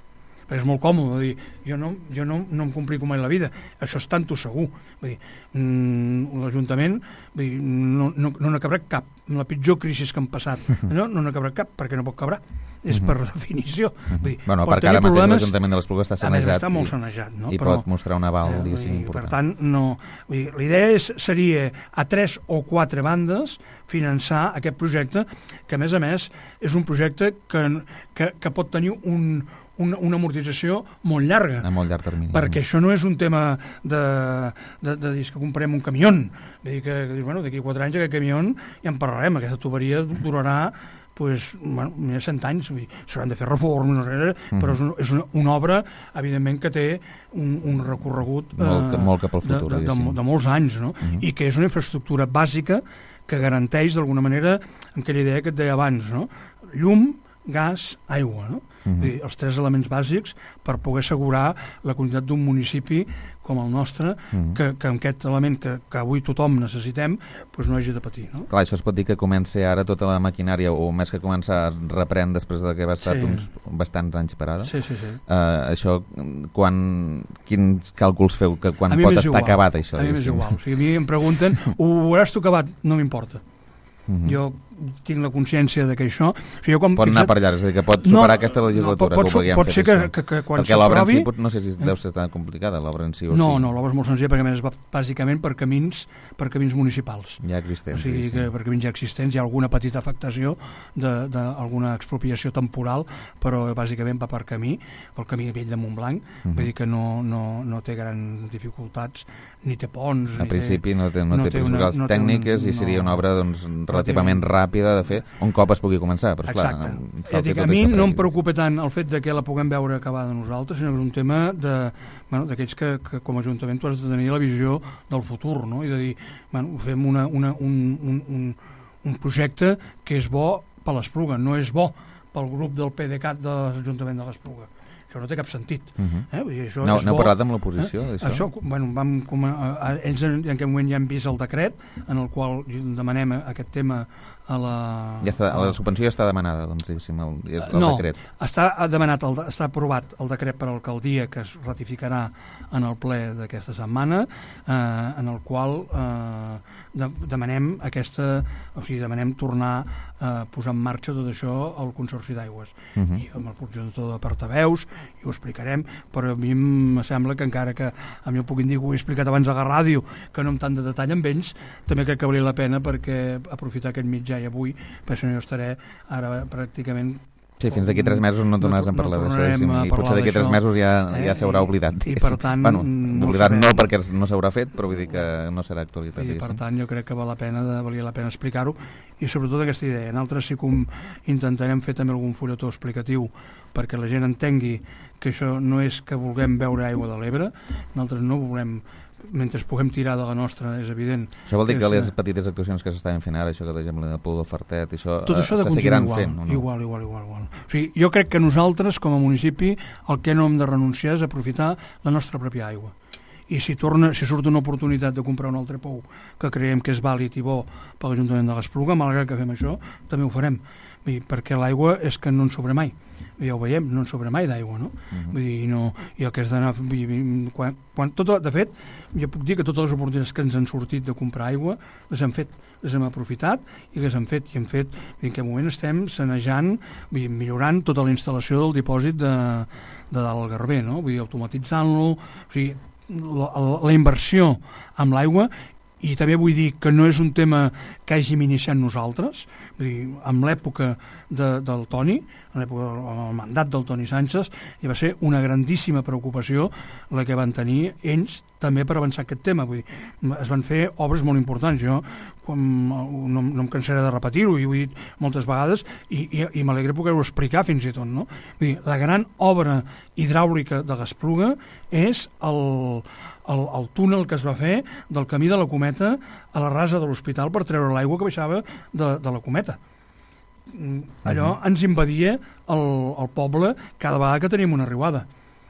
S3: Però és molt còmode dir, jo no, jo no, no em complico mai la vida, això és tanto segur. Vull dir, mmm, l'Ajuntament vull dir, no, no, no n'acabarà cap. En la pitjor crisi que han passat, no, no n'acabarà cap, perquè no pot cabrar. És per definició. Vull dir,
S2: bueno, perquè ara mateix l'Ajuntament de l'Espluga està sanejat,
S3: està molt sanejat, no?
S2: i
S3: Però,
S2: pot mostrar un aval, eh, diguéssim, important.
S3: Per tant, no, vull dir, la idea és, seria a tres o quatre bandes finançar aquest projecte, que a més a més és un projecte que, que, que pot tenir un Una, una amortització molt llarga.
S2: A molt llarg termini.
S3: Perquè això no és un tema de, de, de dir que comprem un camió. Vull dir que, que bueno, d'aquí quatre anys aquest camió ja en parlarem. Aquesta tuberia durarà pues, bueno, més de cent anys. S'hauran de fer reformes, no sé, uh-huh. però és, un, és una, una obra, evidentment, que té un, un recorregut
S2: molt, eh, molt cap al futur,
S3: de, de, de, de molts anys, no? Uh-huh. I que és una infraestructura bàsica que garanteix, d'alguna manera, amb aquella idea que et deia abans, no? Llum, gas, aigua, no? Uh-huh. Dir, els tres elements bàsics per poder assegurar la quantitat d'un municipi com el nostre, uh-huh. que, que amb aquest element que, que avui tothom necessitem doncs no hagi de patir, no?
S2: Clar, això es pot dir que comença ara tota la maquinària, o més que començar reprèn després de que va estar sí. uns bastants anys parada.
S3: Sí, sí, sí.
S2: Uh, això, quan, quins càlculs feu, que quan pot estar
S3: igual.
S2: acabat això?
S3: A mi m'és igual. O sigui, a mi em pregunten, ho veuràs tu acabat? No m'importa. Uh-huh. Jo tinc la consciència de que això... O sigui,
S2: quan, pot anar per allà, és a dir, que pot superar no, aquesta legislatura.
S3: No, pot, pot, pot ser que, que, que quan
S2: perquè l'obra
S3: en
S2: si, no sé si deu ser tan complicada, l'obra en si o
S3: no,
S2: sí.
S3: No, l'obra és molt senzilla perquè més va bàsicament per camins, per camins municipals.
S2: Ja existents.
S3: O sigui,
S2: sí,
S3: que
S2: sí.
S3: per camins ja existents hi ha alguna petita afectació d'alguna expropiació temporal, però bàsicament va per camí, pel camí vell de Montblanc, uh-huh. Vull dir que no, no, no té grans dificultats, ni té ponts...
S2: A
S3: ni
S2: principi
S3: té,
S2: no té, no no té principals no tècniques un, i seria una obra doncs, relativament no ràpida de fer, un cop es pugui començar. Però,
S3: exacte.
S2: Clar,
S3: ja dic, a mi no em preocupa tant el fet de que la puguem veure acabada nosaltres, sinó que és un tema de, bueno, d'aquells que, que com a Ajuntament tu has de tenir la visió del futur, no? I de dir, bueno, fem una, una, un, un, un, un projecte que és bo per l'Espluga, no és bo pel grup del P D C A T de l'Ajuntament de l'Espluga. Això no té cap sentit. Uh-huh. eh? Vull dir, això
S2: no,
S3: és
S2: no
S3: bo.
S2: Parlat amb l'oposició,
S3: eh?
S2: d'això?
S3: Això, bueno, vam, com a, a, ells en, en aquest moment ja han vist el decret en el qual demanem aquest tema a la...
S2: Ja està, la subvenció ja està demanada, doncs, diguéssim, el, el
S3: no,
S2: decret.
S3: No, està demanat, el, està aprovat el decret per l'alcaldia que es ratificarà en el ple d'aquesta setmana, eh, en el qual eh, de, demanem aquesta, o sigui, demanem tornar a posar en marxa tot això al Consorci d'Aigües. Uh-huh. I amb el progenitor de portaveus, i ho explicarem, però a mi em sembla que encara que a mi ho puguin dir que ho he explicat abans a la ràdio, que no amb tant de detall amb ells, també crec que valia la pena perquè aprofitar aquest mitjà i avui, perquè si no jo estaré ara pràcticament...
S2: Sí, fins d'aquí tres mesos no tornaràs no, a parlar
S3: no
S2: d'això, i potser d'aquí tres mesos ja, eh, ja s'haurà oblidat.
S3: I, i per tant...
S2: Bueno,
S3: no
S2: oblidat no perquè no s'haurà fet, però vull dir que no serà actualitat.
S3: I per tant jo crec que val la pena de, valia la pena explicar-ho, i sobretot aquesta idea. Nosaltres sí que intentarem fer també algun fulletó explicatiu perquè la gent entengui que això no és que vulguem beure aigua de l'Ebre, nosaltres no volem... mentre puguem tirar de la nostra, és evident.
S2: Això vol dir que les petites actuacions que s'estaven fent ara, això que per exemple el Pou del Fartet, això,
S3: tot això
S2: eh, se seguiran
S3: igual,
S2: fent? O no?
S3: Igual, igual, igual, igual. O sigui, jo crec que nosaltres, com a municipi, el que no hem de renunciar és aprofitar la nostra pròpia aigua. I si, torna, si surt una oportunitat de comprar un altre pou que creiem que és vàlid i bo per l'Ajuntament de l'Espluga, malgrat que fem això, també ho farem. Vull dir, perquè l'aigua és que no en sobra mai. Ja ho veiem, no en sobra mai d'aigua, no? Uh-huh. Vull dir, no, i el que has d'anar... Quan, quan, tot, de fet, jo puc dir que totes les oportunitats que ens han sortit de comprar aigua les hem fet, les hem aprofitat i les hem fet, i hem fet, en aquest moment estem sanejant, vull dir, millorant tota la instal·lació del dipòsit de, de dalt al Garber, no? Vull dir, automatitzant-lo, o sigui, la, la inversió amb l'aigua. I també vull dir que no és un tema que hàgim iniciat nosaltres, vull dir, en l'època de, del Toni, en l'època del mandat del Toni Sánchez, i va ser una grandíssima preocupació la que van tenir ells també per avançar aquest tema. Vull dir, es van fer obres molt importants. Jo quan, no, no em cansaré de repetir-ho, i ho he dit moltes vegades, i, i, i m'alegre poder-ho explicar fins i tot, no? Vull dir, la gran obra hidràulica de l'Espluga és el... El, el túnel que es va fer del camí de la Cometa a la rasa de l'hospital per treure l'aigua que baixava de, de la Cometa. Allò uh-huh. ens invadia el, el poble cada vegada que teníem una riuada.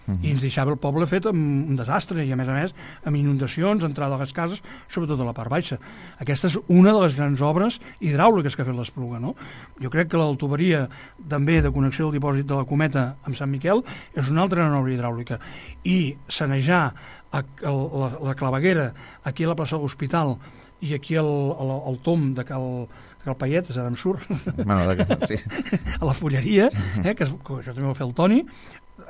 S3: Uh-huh. I ens deixava el poble fet amb un desastre, i a més a més amb inundacions, entrada a les cases, sobretot a la part baixa. Aquesta és una de les grans obres hidràuliques que ha fet l'Espluga, no? Jo crec que la tuberia també de connexió del dipòsit de la Cometa amb Sant Miquel és una altra gran obra hidràulica. I sanejar a, a, la, la claveguera aquí a la plaça de l'Hospital i aquí al, al, al tom de Cal, de Cal Paiet, ara em surt,
S2: bueno, de, sí.
S3: a la fulleria, eh, que, es, que això també ho va fer el Toni.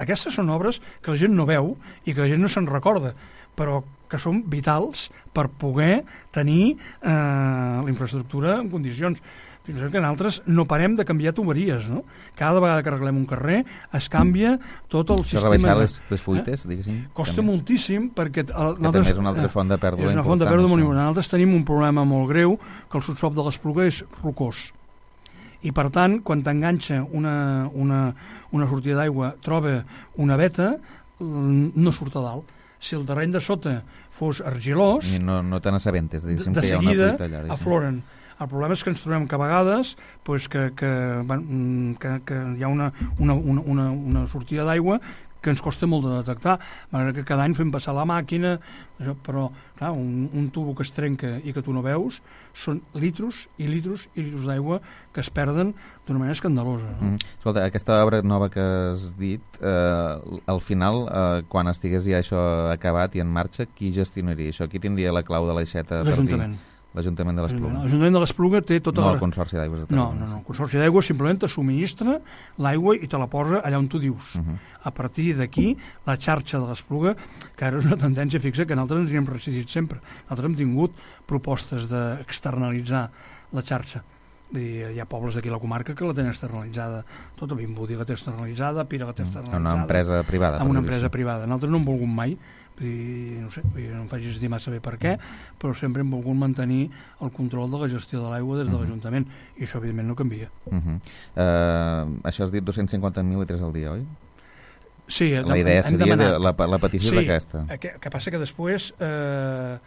S3: Aquestes són obres que la gent no veu i que la gent no se'n recorda, però que són vitals per poder tenir eh, la infraestructura en condicions. Fins i tot que nosaltres no parem de canviar tuberies, no? Cada vegada que arreglem un carrer es canvia tot el
S2: Això
S3: sistema...
S2: rebaixar les, les fuites, eh? diguéssim?
S3: Costa
S2: també.
S3: moltíssim, perquè... El,
S2: que també és una altra font de pèrdua important.
S3: És una font de pèrdua molt important. Nosaltres tenim un problema molt greu, que el subsòl de l'Espluga és rocós. I per tant, quan t'enganxa una, una, una sortida d'aigua, troba una veta, no surt a dalt. Si el terreny de sota fos argilós...
S2: I no, no te n'assabentes, diguéssim,
S3: de
S2: que hi ha una
S3: seguida
S2: fuita allà. Diguéssim.
S3: Afloren. El problema és que ens trobem que a vegades pues, que, que, que, que hi ha una, una, una, una sortida d'aigua que ens costa molt de detectar, malgrat que cada any fem passar la màquina, això, però clar, un, un tubo que es trenca i que tu no veus, són litros i litros i litros d'aigua que es perden d'una manera escandalosa. No?
S2: Mm. Escolta, aquesta obra nova que has dit, eh, al final, eh, quan estigués ja això acabat i en marxa, qui gestionaria això? Qui tindria la clau de l'aixeta?
S3: L'Ajuntament.
S2: l'Ajuntament de l'Espluga.
S3: L'Ajuntament de l'Espluga té tota
S2: no
S3: la...
S2: el Consorci d'Aigües de
S3: No,
S2: Tarragona.
S3: no, no, el Consorci d'Aigües simplement te subministra l'aigua i te la posa allà on tu dius.
S2: Uh -huh.
S3: A partir d'aquí, la xarxa de l'Espluga, que ara és una tendència fixa que nosaltres ens hi hem resistit sempre. Nosaltres hem tingut propostes d'externalitzar la xarxa. Vull dir, hi ha pobles d'aquí a la comarca que la tenen externalitzada. Tota Vimbodí la té externalitzada, Pira la té externalitzada.
S2: Una empresa privada.
S3: Amb una empresa privada. Nosaltres no hem volgut mai, vull dir, no sé, vull dir, no em facis estimar saber per què, però sempre hem volgut mantenir el control de la gestió de l'aigua des de uh -huh. l'Ajuntament, i això evidentment no canvia.
S2: Uh -huh. uh, això has dit dos-cents cinquanta mil litres al dia, oi?
S3: Sí,
S2: la idea seria de, la, la petició
S3: sí,
S2: és aquesta.
S3: Sí, que, que passa que després eh,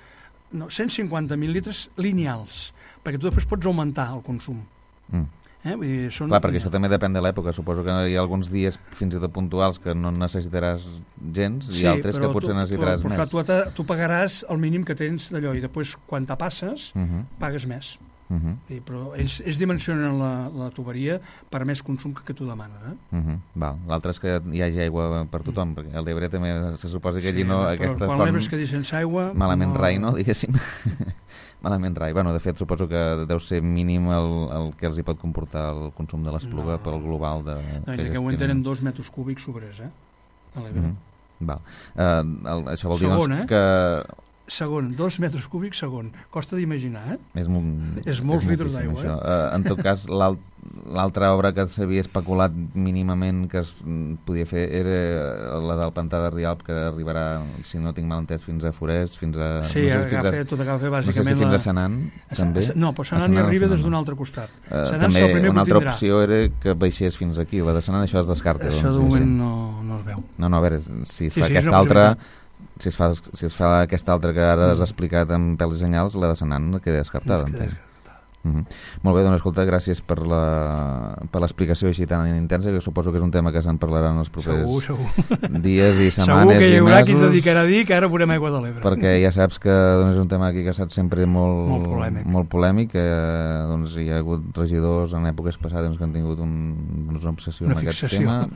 S3: no, cent cinquanta mil litres lineals, perquè tu després pots augmentar el consum.
S2: Mm.
S3: Eh? Vull dir, són...
S2: Clar, perquè això també depèn de l'època. Suposo que hi ha alguns dies fins i tot puntuals que no necessitaràs gens
S3: sí,
S2: i altres que potser
S3: tu,
S2: necessitaràs
S3: tu,
S2: més.
S3: Clar, tu, tu pagaràs el mínim que tens d'allò i després quan te passes uh -huh. pagues més.
S2: Uh -huh.
S3: Sí, però ells, ells dimensionen la, la tuberia per més consum que, que tu demanes. Eh?
S2: Uh -huh. Val. L'altre és que hi hagi aigua per tothom, perquè a l'Ebre també se suposa que allí
S3: sí,
S2: no...
S3: Però
S2: aquesta
S3: quan
S2: font...
S3: l'Ebre es quedi sense aigua...
S2: Malament
S3: no...
S2: rai, no? Diguéssim. Malament rai. Bueno, de fet, suposo que deu ser mínim el, el que els hi pot comportar el consum de l'Espluga no. pel global de...
S3: No, que, que ho entenen dos metres cúbics sobrers, eh? A l'Ebre.
S2: Uh -huh. Val. Uh, el, això vol dir
S3: Segon,
S2: doncs,
S3: eh?
S2: que...
S3: Segon, dos metres cúbics segon. Costa d'imaginar, eh?
S2: És, molt,
S3: és molts és litres d'aigua, eh?
S2: Uh, en tot cas, l'altra obra que s'havia especulat mínimament que es podia fer era la del Pantà de Rialp, que arribarà, si no tinc mal entès, fins a Forès, fins a...
S3: Sí,
S2: no sé,
S3: agafa,
S2: fins a,
S3: tot agafa bàsicament...
S2: No sé si fins
S3: la...
S2: a Senan, també.
S3: No, però Senan hi arriba des d'un altre costat.
S2: Uh, també una altra opció era que baixés fins aquí. La de Senan, això es descarta.
S3: Això
S2: doncs,
S3: de moment
S2: sí.
S3: no, no es veu.
S2: No, no, a veure, si es
S3: sí,
S2: fa
S3: sí,
S2: aquesta altra... Si es, fa, si es fa aquesta altra que ara has explicat amb pèls i senyals, la de Senan queda descartada.
S3: Queda descartada.
S2: Uh -huh. Molt bé, doncs escolta, gràcies per l'explicació així tan intensa, que suposo que és un tema que se'n parlarà en els propers
S3: segur, segur.
S2: dies i setmanes i mesos.
S3: Segur que hi haurà qui es dedicarà a dir que ara veurem aigua de l'Ebre.
S2: Perquè ja saps que doncs, és un tema aquí que ha estat sempre molt,
S3: molt polèmic,
S2: molt polèmic que doncs, hi ha hagut regidors en èpoques passades que han tingut un, doncs, una obsessió
S3: una
S2: amb
S3: fixació.
S2: aquest tema.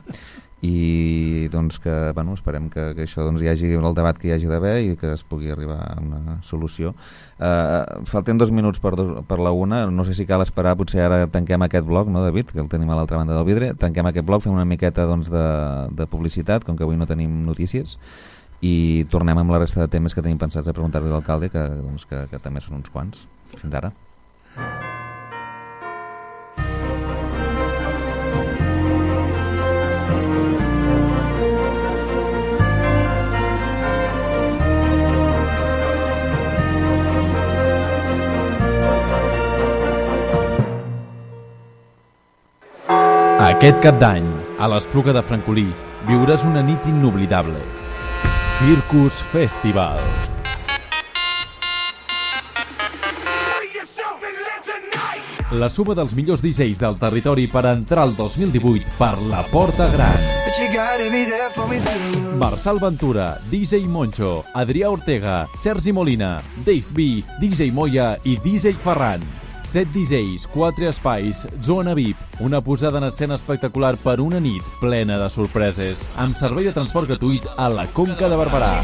S2: I doncs que, bueno, esperem que, que això doncs, hi hagi el debat que hi hagi d'haver i que es pugui arribar a una solució. Uh, falten dos minuts per, dos, per la una, no sé si cal esperar, potser ara tanquem aquest bloc, no, David, que el tenim a l'altra banda del vidre, tanquem aquest bloc, fem una miqueta doncs, de, de publicitat, com que avui no tenim notícies, i tornem amb la resta de temes que tenim pensats a preguntar-li a l'alcalde, que, doncs, que, que també són uns quants. Fins ara.
S4: Aquest cap d'any, a l'Espluga de Francolí, viuràs una nit inoblidable. Circus Festival. La suma dels millors D Js del territori per entrar el dos mil divuit per la Porta Gran. Marçal Ventura, D J Moncho, Adrià Ortega, Sergi Molina, Dave B, D J Moya i D J Ferran. set D Js, quatre espais, zona V I P, una posada en escena espectacular per una nit plena de sorpreses, amb servei de transport gratuït a la Conca de Barberà.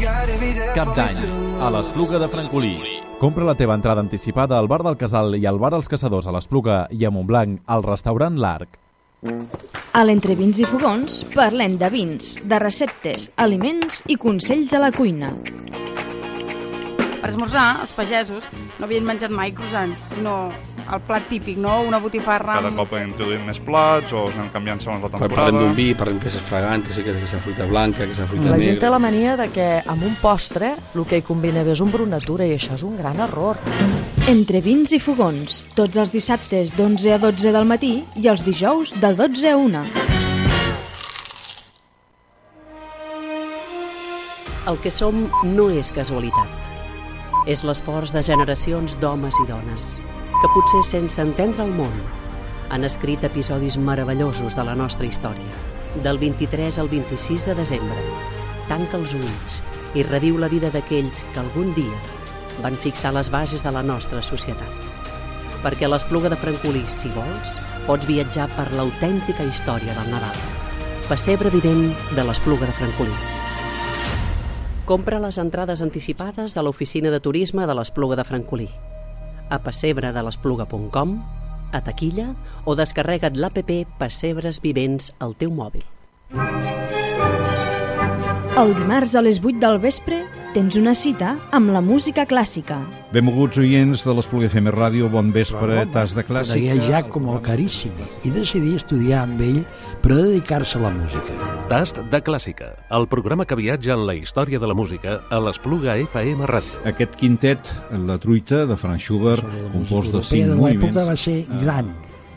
S4: Cap d'any, a l'Espluga de Francolí. Compra la teva entrada anticipada al Bar del Casal i al Bar Els Caçadors a l'Espluga i a Montblanc al restaurant L'Arc.
S1: A l'Entre Vins i Fogons parlem de vins, de receptes, aliments i consells a la cuina.
S5: Per esmorzar, els pagesos no havien menjat mai croissants, sinó el plat típic, no? Una botifarra amb...
S6: Cada cop introduïm més plats o anem canviant segons la temporada.
S7: Parlem d'un vi, parlem que és fragant, que sí que és aquesta fruita blanca, que és la fruita
S8: la
S7: negra.
S8: La gent té la mania de que amb un postre el que hi combina bé és un brunatura i això és un gran error.
S1: Entre Vins i Fogons, tots els dissabtes d'onze a dotze del matí i els dijous de dotze a una.
S9: El que som no és casualitat. És l'esforç de generacions d'homes i dones que potser sense entendre el món han escrit episodis meravellosos de la nostra història. Del vint-i-tres al vint-i-sis de desembre, tanca els ulls i reviu la vida d'aquells que algun dia van fixar les bases de la nostra societat. Perquè a l'Espluga de Francolí, si vols, pots viatjar per l'autèntica història del Nadal. Pessebre vivent de l'Espluga de Francolí. Compra les entrades anticipades a l'oficina de turisme de l'Espluga de Francolí. a pessebre de l'espluga punt com, a taquilla o descarrega't l'app Pessebres Vivents al teu mòbil.
S1: El dimarts a les vuit del vespre tens una cita amb la música clàssica.
S10: Benvolguts oients de l'Espluga F M Ràdio, bon vespre, tas de clàssica.
S11: Conegué Giacomo Carissimi i decidí estudiar amb ell per a dedicar-se a la música.
S12: Tast de clàssica, el programa que viatja en la història de la música a l'Espluga F M Ràdio.
S10: Aquest quintet, La truita, de Franz Schubert, compost de cinc
S11: moviments.
S10: moviments.
S11: L'època va ser gran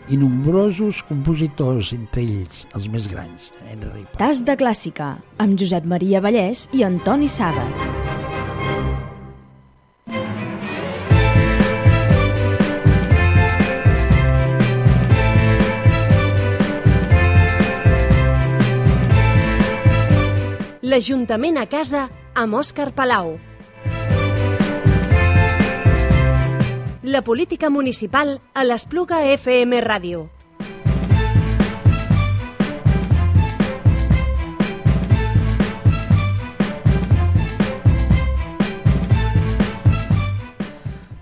S11: i nombrosos compositors, entre ells els més grans. Henry Paz.
S1: Tas de clàssica, amb Josep Maria Vallès i Antoni Saba.
S13: L'Ajuntament a casa amb Òscar Palau. La política municipal a l'Espluga F M Ràdio.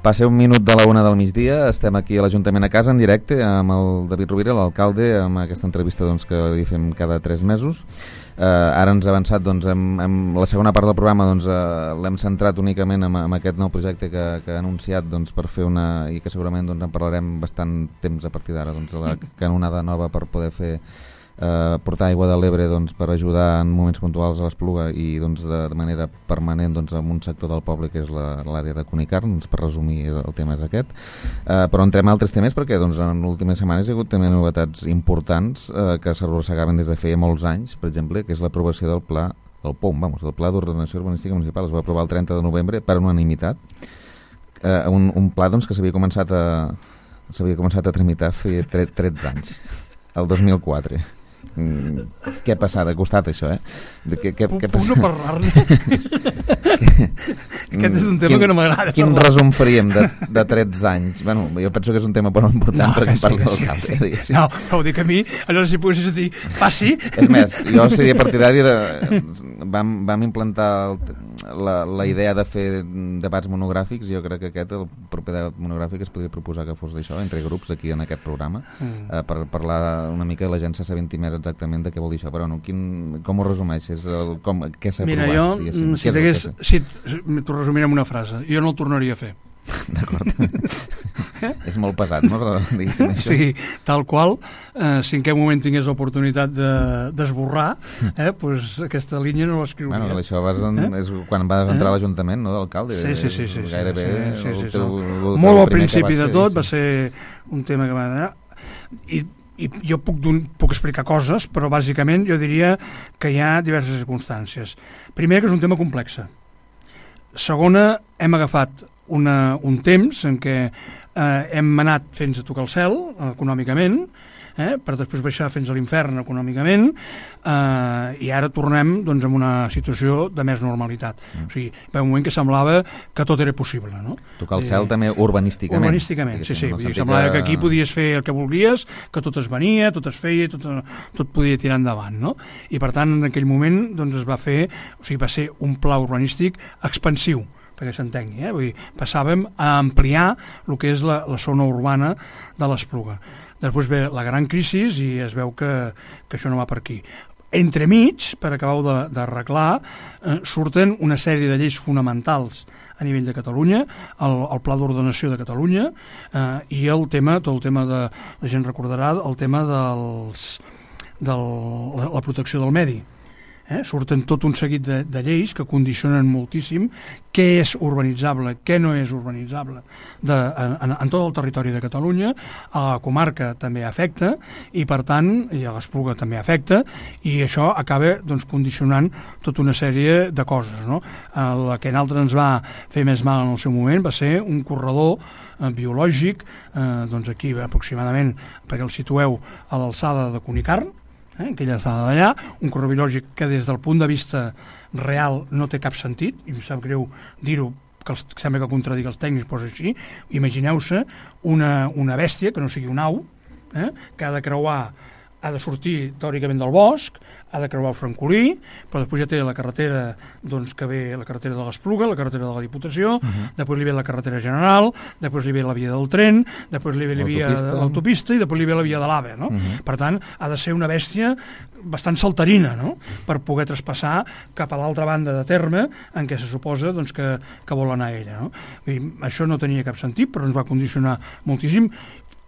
S2: Passa un minut de la una del migdia, estem aquí a l'Ajuntament a casa en directe amb el David Rovira, l'alcalde, amb aquesta entrevista doncs, que hi fem cada tres mesos. Eh, ara ens ha avançat, doncs, amb, amb la segona part del programa doncs, eh, l'hem centrat únicament en, en aquest nou projecte que, que ha anunciat doncs, per fer una, i que segurament doncs, en parlarem bastant temps a partir d'ara, doncs, la canonada nova per poder fer Eh, portar aigua de l'Ebre doncs, per ajudar en moments puntuals a l'Espluga i doncs, de, de manera permanent doncs, en un sector del poble que és l'àrea de Cunicarn, doncs, per resumir el tema és aquest, eh, però entrem a altres temes perquè doncs, en les últimes setmanes hi ha hagut també novetats importants eh, que s'arrossegaven des de feia molts anys, per exemple, que és l'aprovació del pla del P O M, vamos, del Pla d'Ordenació Urbanística Municipal. Es va aprovar el trenta de novembre per unanimitat, eh, un, un pla doncs, que s'havia començat a s'havia començat a tramitar feia tretze anys, el dos mil quatre. Mm, què ha passat? Ha costat això, eh? De què, què,
S3: puc
S2: què
S3: puc no parlar-ne. Aquest és un tema
S2: quin,
S3: que no m'agrada.
S2: Quin parlar. Resum faríem de, de tretze anys? Bueno, jo penso que és un tema molt important no, perquè
S3: sí,
S2: parli del
S3: sí,
S2: cap.
S3: sí.
S2: Eh,
S3: no, però ho dic a mi, allò si poguessis dir, passi.
S2: És més, jo seria partidari de... Vam, vam implantar el, la, la idea de fer debats monogràfics, jo crec que aquest, el proper debat monogràfic, es podria proposar que fos d'això, entre grups aquí en aquest programa, mm. eh, per parlar una mica i la gent s'assabenti més exactament de què vol dir això, però no, quin, com ho resumeixes? El, com, què s'ha
S3: Mira,
S2: aprovat?
S3: Mira, jo, si t'hagués... Si, t'ho resumiré amb una frase. Jo no el tornaria a fer.
S2: D'acord. És molt pesat, no? Diguéssim això.
S3: Sí, tal qual. Eh, si en aquest moment tingués l'oportunitat d'esborrar, de, eh, pues aquesta línia no l'escriuria.
S2: Bueno, això vas en, eh? és quan vas entrar eh? a l'Ajuntament, no?, d'alcalde.
S3: Sí, sí, sí. sí,
S2: gairebé
S3: sí, sí, sí, sí,
S2: teu,
S3: sí. Molt al principi de tot sí. Va ser un tema que va anar... I i jo puc, puc explicar coses, però bàsicament jo diria que hi ha diverses circumstàncies. Primer, que és un tema complex. Segona, hem agafat una, un temps en què eh, hem anat fins a tocar el cel econòmicament, eh, per després baixar fins a l'infern econòmicament, eh, i ara tornem doncs, en una situació de més normalitat. Mm. O sigui, va un moment que semblava que tot era possible. No?
S2: Tocar el cel eh, també urbanísticament.
S3: Urbanísticament, sí, sí. Vull dir, semblava que aquí podies fer el que volies, que tot es venia, tot es feia, tot, tot podia tirar endavant. No? I per tant, en aquell moment doncs, es va fer, o sigui, va ser un pla urbanístic expansiu, perquè s'entengui, eh? Vull dir, passàvem a ampliar el que és la, la zona urbana de l'Espluga. Després ve la gran crisi i es veu que, que això no va per aquí. Entremig, per acabar d'arreglar, eh, surten una sèrie de lleis fonamentals a nivell de Catalunya, el, el Pla d'Ordenació de Catalunya eh, i el tema, tot el tema de, la gent recordarà, el tema dels, de la, la protecció del medi. Eh? Surten tot un seguit de, de lleis que condicionen moltíssim què és urbanitzable, què no és urbanitzable de, en, en tot el territori de Catalunya. A la comarca també afecta i per tant, i a l'Espluga també afecta, i això acaba doncs, condicionant tota una sèrie de coses, no? El que a nosaltres ens va fer més mal en el seu moment va ser un corredor eh, biològic, eh, doncs aquí aproximadament, perquè el situeu a l'alçada de Cunicarn, Eh, aquella alçada d'allà, un corredor biològic que des del punt de vista real no té cap sentit, i em sap greu dir-ho, que els, sembla que contradic els tècnics, però és així. Imagineu-se una, una bèstia, que no sigui un au, eh, que ha de creuar ha de sortir teòricament del bosc, ha de creuar el Francolí, però després ja té la carretera doncs, que ve la carretera de l'Espluga, la carretera de la Diputació, uh-huh. després li ve la carretera general, després li ve la via del tren, després li ve la via de l'autopista i després li ve la via de l'AVE, no? Uh-huh. Per tant, ha de ser una bèstia bastant saltarina, no? Per poder traspassar cap a l'altra banda de terme en què se suposa doncs, que, que vol anar ella, no? I això no tenia cap sentit, però ens va condicionar moltíssim,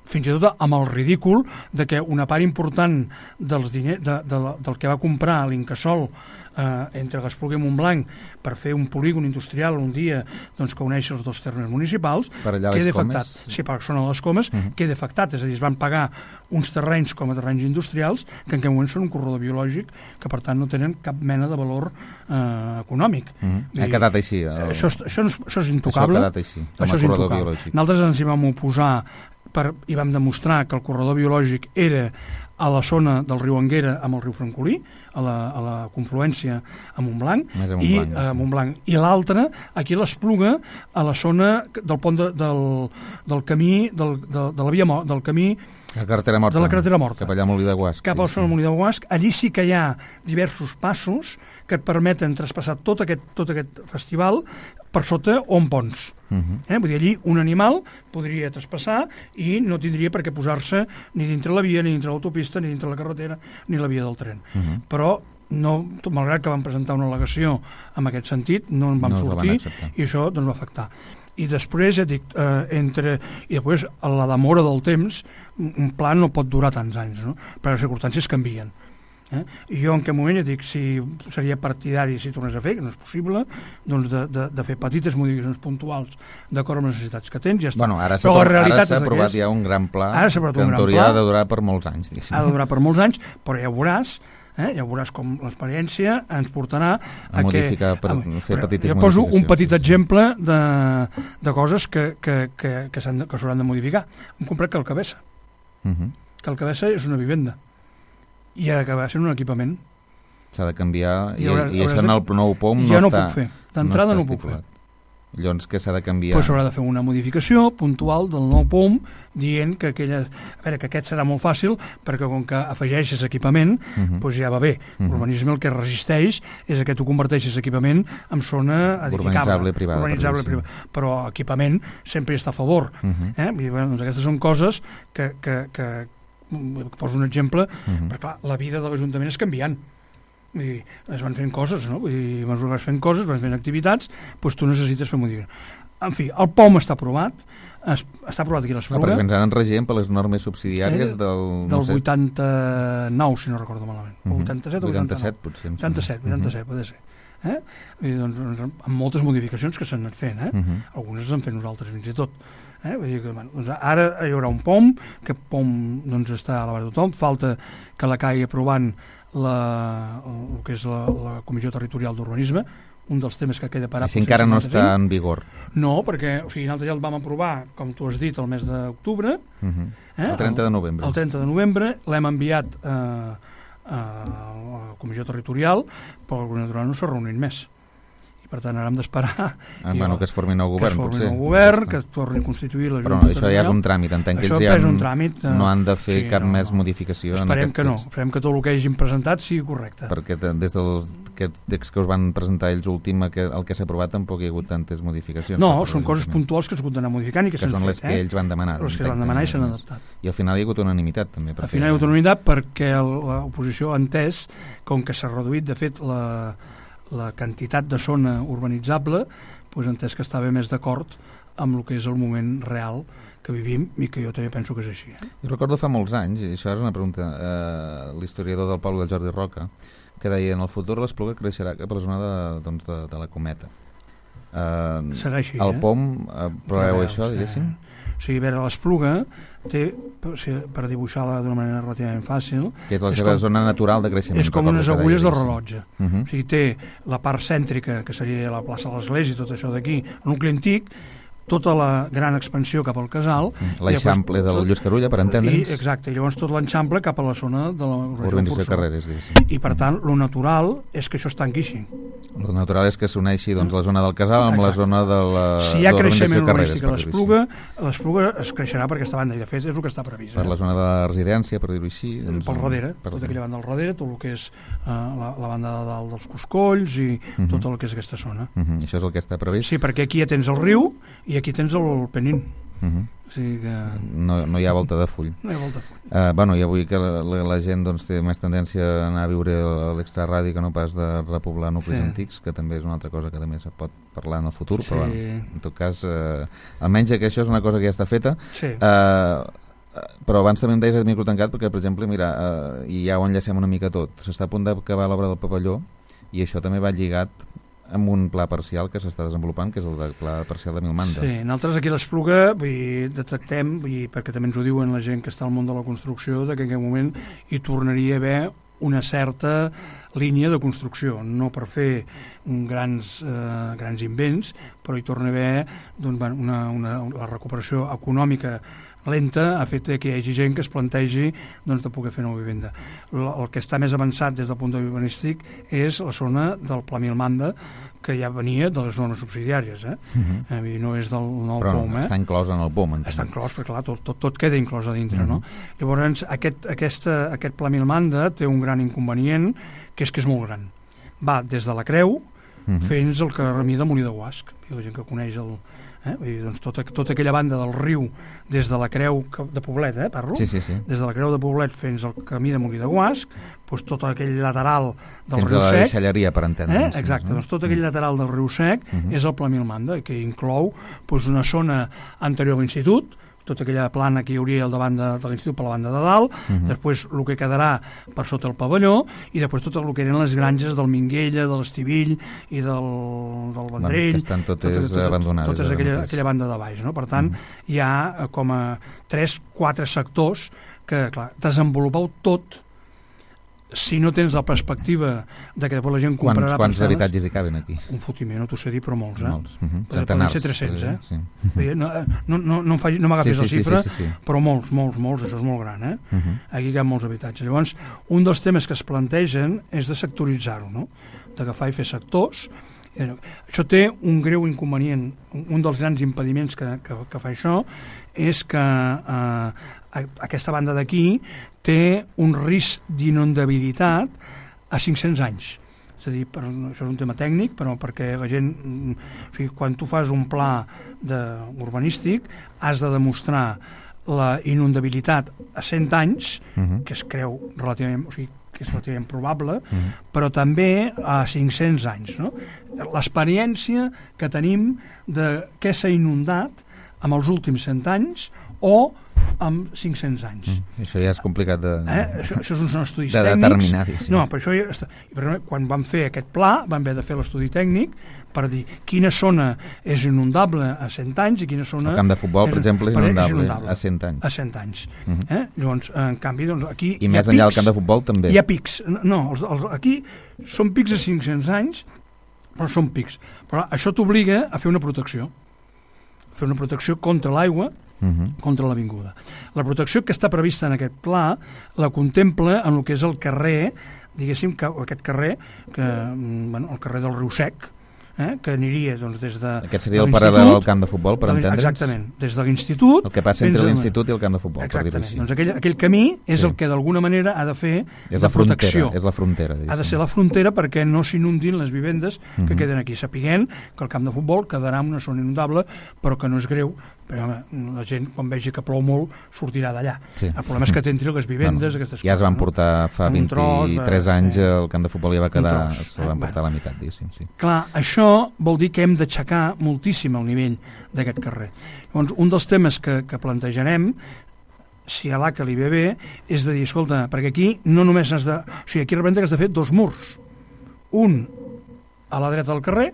S3: fins i tot amb el ridícul de que una part important dels diners, de, de, de, del que va comprar l'Incasòl eh, entre Espluga i Montblanc per fer un polígon industrial un dia doncs, que uneix els dos termes municipals, queda afectat. Sí, per són a les Comes, uh-huh. queda afectat, és a dir, es van pagar uns terrenys com a terrenys industrials que en aquest moment són un corredor biològic que per tant no tenen cap mena de valor eh, econòmic.
S2: Uh-huh. Ha quedat així. El...
S3: Això, això, això és intocable.
S2: Això ha quedat així, com a corredor biològic.
S3: Nosaltres ens hi vam oposar per, i vam demostrar que el corredor biològic era a la zona del riu Anguera amb el riu Francolí, a la, a la confluència a Montblanc,
S2: a Montblanc,
S3: i,
S2: sí.
S3: a Montblanc. I l'altre, aquí a l'Espluga, a la zona del pont de, del, del camí, del, de, de la via del camí
S2: la carretera morta,
S3: de la carretera morta.
S2: Cap allà a Molí de Guasc.
S3: Cap al Molí de Guasc. Allí sí que hi ha diversos passos que et permeten traspassar tot aquest, tot aquest festival per sota o en ponts. Uh-huh. eh? Vull dir, allí un animal podria traspassar i no tindria per què posar-se ni dintre la via, ni dintre l'autopista, ni dintre la carretera, ni la via del tren. Uh-huh. Però no, tot, malgrat que vam presentar una al·legació en aquest sentit, no en vam no sortir i això doncs, va afectar. I després, ja dic, eh, entre... I després, a la demora del temps, un pla no pot durar tants anys, no? Perquè les circumstàncies canvien. Eh? I jo en aquest moment, ja dic, si seria partidari si tornés a fer, que no és possible, doncs de, de, de fer petites modificacions puntuals d'acord amb les necessitats que tens, ja està.
S2: Bueno, ara s'ha aprovat ja un gran pla que en teoria ha de durar per molts anys. Diguéssim.
S3: Ha de durar per molts anys, però ja veuràs Eh? ja veuràs com l'experiència ens portarà a,
S2: a modificar,
S3: que...
S2: Per a, fer petites
S3: jo poso un petit exemple de, de coses que, que, que, que s'hauran de modificar. Hem comprat Calcabessa. Uh-huh. Calcabessa és una vivenda i ha d'acabar sent un equipament.
S2: S'ha de canviar i,
S3: I, haurà,
S2: i això en el nou POM no,
S3: ja no
S2: està,
S3: puc fer. D'entrada
S2: no,
S3: no ho puc fer.
S2: Llavors que s'ha de canviar...
S3: Pues s'haurà de fer una modificació puntual del nou POM dient que aquella... A veure, que aquest serà molt fàcil perquè com que afegeixes equipament uh-huh. pues ja va bé. Uh-huh. L'urbanisme el que resisteix és que tu converteixes equipament en zona edificable.
S2: Urbanitzable privada.
S3: Urbanitzable
S2: però,
S3: privada. Sí. Però equipament sempre està a favor. Uh-huh. eh? I, bueno, doncs aquestes són coses que... que, que poso un exemple, uh-huh. perquè clar, la vida de l'Ajuntament és canviant. I es van fent coses, no? Vull dir, a mesura que vas fent coses, vas fent activitats, doncs tu necessites fer modificacions. En fi, el POM està aprovat, es, està aprovat aquí a l'Espluga.
S2: Ah, perquè ens han regent per les normes subsidiàries eh, del...
S3: No del sé. vuitanta-nou, si no recordo malament. Uh-huh. vuitanta-set o
S2: vuitanta-set, potser.
S3: vuitanta-set, vuitanta-set, uh-huh. pot ser. Eh? I, doncs, amb moltes modificacions que s'han anat fent, eh? Uh-huh. Algunes les hem fet nosaltres, fins i tot. Eh? Vull dir que, bueno, doncs ara hi haurà un POM, que POM doncs, està a l'abast de tothom, falta que la caigui aprovant la, el que és la, la Comissió Territorial d'Urbanisme, un dels temes que queda parat.
S2: Si encara no està en vigor.
S3: No, perquè o sigui, nosaltres ja el vam aprovar, com tu has dit, el mes d'octubre.
S2: Uh-huh. eh? El trenta de novembre.
S3: El, el trenta de novembre l'hem enviat eh, a la Comissió Territorial, però el Govern no s'ha reunit més. Per tant, ara hem d'esperar
S2: ah, bueno, que es formi nou govern,
S3: que es formi
S2: potser.
S3: nou govern, que es torni a constituir la Junta.
S2: Però no, això ja és un tràmit, entenc que ells ja
S3: un tràmit,
S2: no han de fer
S3: sí,
S2: cap
S3: no,
S2: més
S3: no.
S2: modificació
S3: esperem
S2: en aquest
S3: que
S2: text.
S3: no, esperem que tot el que hagin presentat sigui correcte.
S2: Perquè des del aquest text que us van presentar ells últim, que, el que s'ha aprovat tampoc hi ha hagut tantes modificacions.
S3: No, són coses puntuals que s'han hagut d'anar modificant i que,
S2: que
S3: s'han
S2: són
S3: fet.
S2: les que
S3: eh?
S2: ells van demanar.
S3: Les que van demanar i s'han adaptat.
S2: I al final hi ha hagut unanimitat també.
S3: Al final hi ha hagut unanimitat perquè l'oposició ha entès, com que s'ha reduït de fet la, la quantitat de zona urbanitzable, doncs entès que estava més d'acord amb el que és el moment real que vivim i que jo també penso que és així. Eh?
S2: Jo recordo fa molts anys, i això és una pregunta, eh, l'historiador del poble, Jordi Roca, que deia en el futur l'Espluga creixerà cap a la zona de, doncs, de, de la Cometa. Eh,
S3: Serà així,
S2: el
S3: eh?
S2: POM, eh, proveu això, diguéssim?
S3: O sigui, a veure, l'Espluga té, per dibuixar-la d'una manera relativament fàcil...
S2: Que és la seva com, zona natural de creixement.
S3: És com unes agulles de rellotge.
S2: Uh-huh.
S3: O sigui, té la part cèntrica, que seria la plaça de l'Església i tot això d'aquí, el nucli antic, tota la gran expansió cap al casal...
S2: L'eixample del Lluís Carulla, per entendre'ns.
S3: Exacte, i llavors tot l'enxample cap a la zona de la
S2: urbanització de Carreres.
S3: I per tant, lo natural és que això es tanqui així.
S2: El natural és que s'uneixi doncs, la zona del casal amb
S3: Exacte.
S2: la zona de la
S3: si hi ha creixement urbanístic a
S2: Carreres,
S3: l'Espluga, l'Espluga es creixerà per aquesta banda, i de fet és el que està previst.
S2: Per
S3: eh?
S2: la zona de la residència, per dir-ho així. Doncs,
S3: pel darrere,
S2: per
S3: tota aquella banda del darrere, tot el que és uh, la, la banda de dalt dels Coscolls i uh -huh. tot el que és aquesta zona.
S2: Uh -huh. Això és el que està previst?
S3: Sí, perquè aquí ja tens el riu i aquí tens el Penín.
S2: Uh -huh.
S3: O sigui que...
S2: no, no hi ha volta de full.
S3: No hi ha volta de full.
S2: Uh, bueno, i avui que la, la, la gent doncs, té més tendència a anar a viure a l'extraradi que no pas de repoblar nuclis
S3: Sí.
S2: antics, que també és una altra cosa que també se pot parlar en el futur,
S3: Sí.
S2: però bueno, en tot cas, uh, almenys que això és una cosa que ja està feta.
S3: Sí.
S2: Uh, però abans també em deies el micro tancat perquè, per exemple, mira, uh, i ja ho enllacem una mica tot, s'està a punt d'acabar l'obra del pavelló i això també va lligat amb un pla parcial que s'està desenvolupant, que és el del pla parcial de Milmanda.
S3: Sí, nosaltres aquí a l'Espluga vull dir, detectem, vull dir, perquè també ens ho diuen la gent que està al món de la construcció, que en aquest moment hi tornaria a haver una certa línia de construcció, no per fer grans, eh, grans invents, però hi torna a haver doncs, una, una, una recuperació econòmica lenta ha fet que hi hagi gent que es plantegi doncs, de poder fer nova vivenda. El, el que està més avançat des del punt de vista urbanístic és la zona del Pla Milmanda, que ja venia de les zones subsidiàries, eh? Uh -huh. eh no és del nou
S2: Però
S3: P O M, eh?
S2: està inclòs en el P O M. Entenc.
S3: Està inclòs, perquè clar, tot, tot, tot queda inclòs a dintre, uh -huh. no? Llavors, aquest, aquesta, aquest Pla Milmanda té un gran inconvenient, que és que és molt gran. Va des de la Creu uh -huh. fins al camí de Molí de Guasc. I la gent que coneix el... Eh? Vull dir, doncs tota, tota aquella banda del riu des de la Creu de Poblet, eh, parlo?
S2: Sí, sí, sí.
S3: Des de la Creu de Poblet fins al camí de Molí de Guasc, doncs tot aquell lateral del
S2: fins
S3: riu
S2: a la
S3: Sec...
S2: deixalleria, per entendre'ns.
S3: Eh? Exacte, doncs tot aquell lateral del riu Sec uh -huh. és el Pla Milmanda, que inclou doncs, una zona anterior a l'Institut, tota aquella plana que hi hauria al davant de, de l'Institut per la banda de dalt, uh -huh. després el que quedarà per sota el pavelló, i després tot el que eren les granges del Minguella, de l'Estivill i del, del Vendrell,
S2: bueno, estan totes tot, tot, abandonades.
S3: Totes aquella, aquella banda de baix, no? Per tant, uh -huh. hi ha com a tres, quatre sectors que, clar, desenvolupeu tot. Si no tens la perspectiva de que després la gent comprarà...
S2: Quants, quants habitatges hi caben aquí?
S3: Un fotiment, no t'ho sé dir, però molts, eh?
S2: Molts. Uh -huh.
S3: Poden ser tres-cents, eh?
S2: Sí.
S3: No, no, no, no, faig, no m'agafis
S2: sí, sí,
S3: la xifra,
S2: sí, sí, sí, sí.
S3: però molts, molts, molts, això és molt gran, eh?
S2: Uh -huh.
S3: Aquí hi ha molts habitatges. Llavors, un dels temes que es plantegen és de sectoritzar-ho, no? D'agafar i fer sectors. Això té un greu inconvenient, un dels grans impediments que, que, que fa això és que eh, aquesta banda d'aquí té un risc d'inundabilitat a cinc-cents anys. És a dir, per, això és un tema tècnic, però perquè la gent... O sigui, quan tu fas un pla de, urbanístic, has de demostrar la inundabilitat a cent anys, uh-huh. que es creu relativament... O sigui, que és relativament probable, uh-huh. però també a cinc-cents anys. No? L'experiència que tenim de què s'ha inundat amb els últims cent anys o amb cinc-cents anys.
S2: Mm, això ja és complicat de...
S3: Eh? Això, això són estudis
S2: de
S3: tècnics.
S2: determinar. Sí.
S3: No, per això ja està. I quan vam fer aquest pla vam haver de fer l'estudi tècnic per dir quina zona és inundable a cent anys i quina zona...
S2: El camp de futbol,
S3: és,
S2: per exemple, és inundable,
S3: és inundable
S2: a cent anys.
S3: A cent anys.
S2: Uh-huh.
S3: eh? Llavors, en canvi, doncs, aquí
S2: I més enllà del camp de futbol, també.
S3: Hi ha pics. No, els, els, aquí són pics a cinc-cents anys, però són pics. Però això t'obliga a fer una protecció. A fer una protecció contra l'aigua, Uh-huh. contra l'avinguda. La protecció que està prevista en aquest pla la contempla en el que és el carrer, diguéssim, que aquest carrer, que, bueno, el carrer del Riu Sec, eh, que aniria doncs, des de...
S2: Aquest seria el paral·lel al camp de futbol, per entendre'ns?
S3: Exactament, des de l'institut...
S2: El que passa entre l'institut i el camp de futbol,
S3: exactament.
S2: per dir-ho així.
S3: Doncs aquell, aquell camí és sí. el que d'alguna manera ha de fer
S2: és
S3: de
S2: la frontera,
S3: protecció.
S2: És la frontera,
S3: ha de ser la frontera perquè no s'inundin les vivendes que uh-huh. queden aquí, sapiguent que el camp de futbol quedarà en una zona inundable, però que no és greu, però home, la gent quan vegi que plou molt sortirà d'allà. Sí. El problema és que t'entri les vivendes, bueno, aquestes
S2: ja
S3: coses.
S2: Ja es van portar fa vint-i-tres
S3: tros,
S2: anys,
S3: sí.
S2: el camp de futbol ja va quedar, se van portar a la meitat, diguéssim. Sí.
S3: Clar, això vol dir que hem d'aixecar moltíssim el nivell d'aquest carrer. Llavors, un dels temes que, que plantejarem, si a l'A C A li ve bé, és de dir, escolta, perquè aquí no només has de... O sigui, aquí realment has de fer dos murs. Un a la dreta del carrer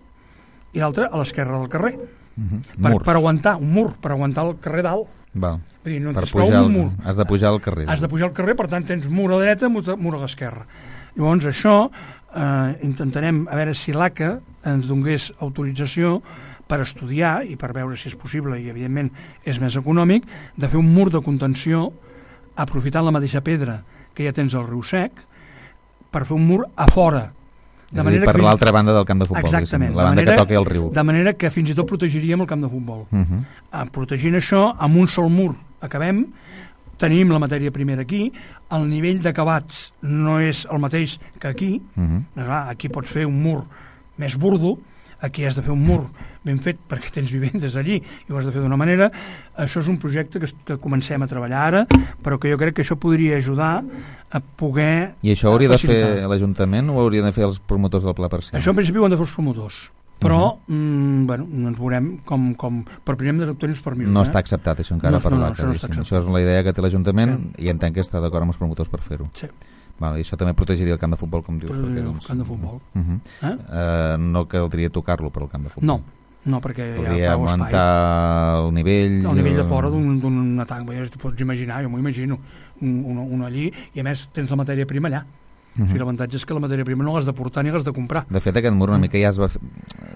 S3: i l'altre a l'esquerra del carrer.
S2: Uh-huh.
S3: per, per aguantar un mur, per aguantar el carrer dalt.
S2: Val.
S3: Dir, no
S2: per pujar un mur. Has de pujar al carrer.
S3: Has de pujar al carrer, per tant tens mur a la dreta, mur a l'esquerra. Llavors això eh, intentarem a veure si l'A C A ens donés autorització per estudiar i per veure si és possible, i evidentment és més econòmic, de fer un mur de contenció aprofitant la mateixa pedra que ja tens al Riu Sec per fer un mur a fora
S2: És a dir, per fins... l'altra banda del camp de futbol.
S3: Exactament.
S2: La banda manera, que toca el riu.
S3: De manera que fins i tot protegiríem el camp de futbol. Uh -huh. uh, protegint això, amb un sol mur acabem, tenim la matèria primera aquí, el nivell d'acabats no és el mateix que aquí. Uh -huh. Clar, aquí pots fer un mur més burdo, aquí has de fer un mur ben fet perquè tens vivendes allí i ho has de fer d'una manera. Això és un projecte que, que comencem a treballar ara, però que jo crec que això podria ajudar a poder...
S2: I això hauria facilitar. de fer l'Ajuntament o haurien de fer els promotors del Pla Parcial?
S3: Això en principi ho han de fer els promotors, però uh -huh. mm, bueno, ens veurem com, com per primer hem d'obtenir els permisos.
S2: No
S3: eh?
S2: està acceptat això encara
S3: no,
S2: per
S3: no,
S2: l'A
S3: no,
S2: C A.
S3: Això, no
S2: això és la idea que té l'Ajuntament
S3: sí.
S2: i entenc que està d'acord amb els promotors per fer-ho.
S3: Sí.
S2: Vale, I això també protegiria el camp de futbol, com dius.
S3: Protegiria
S2: perquè,
S3: el
S2: doncs,
S3: camp de futbol.
S2: Uh -huh. eh? Uh, no caldria tocar-lo per al camp de futbol.
S3: No, no perquè
S2: podria
S3: hi ha prou espai.
S2: augmentar el nivell...
S3: El nivell de fora d'un tanc, pots imaginar, jo m'ho imagino, un, un, un allí, i a més tens la matèria prima allà. Uh-huh. O sigui, l'avantatge és que la matèria prima no l'has de portar ni l'has de comprar.
S2: De fet, aquest mur una mica ja es va fer...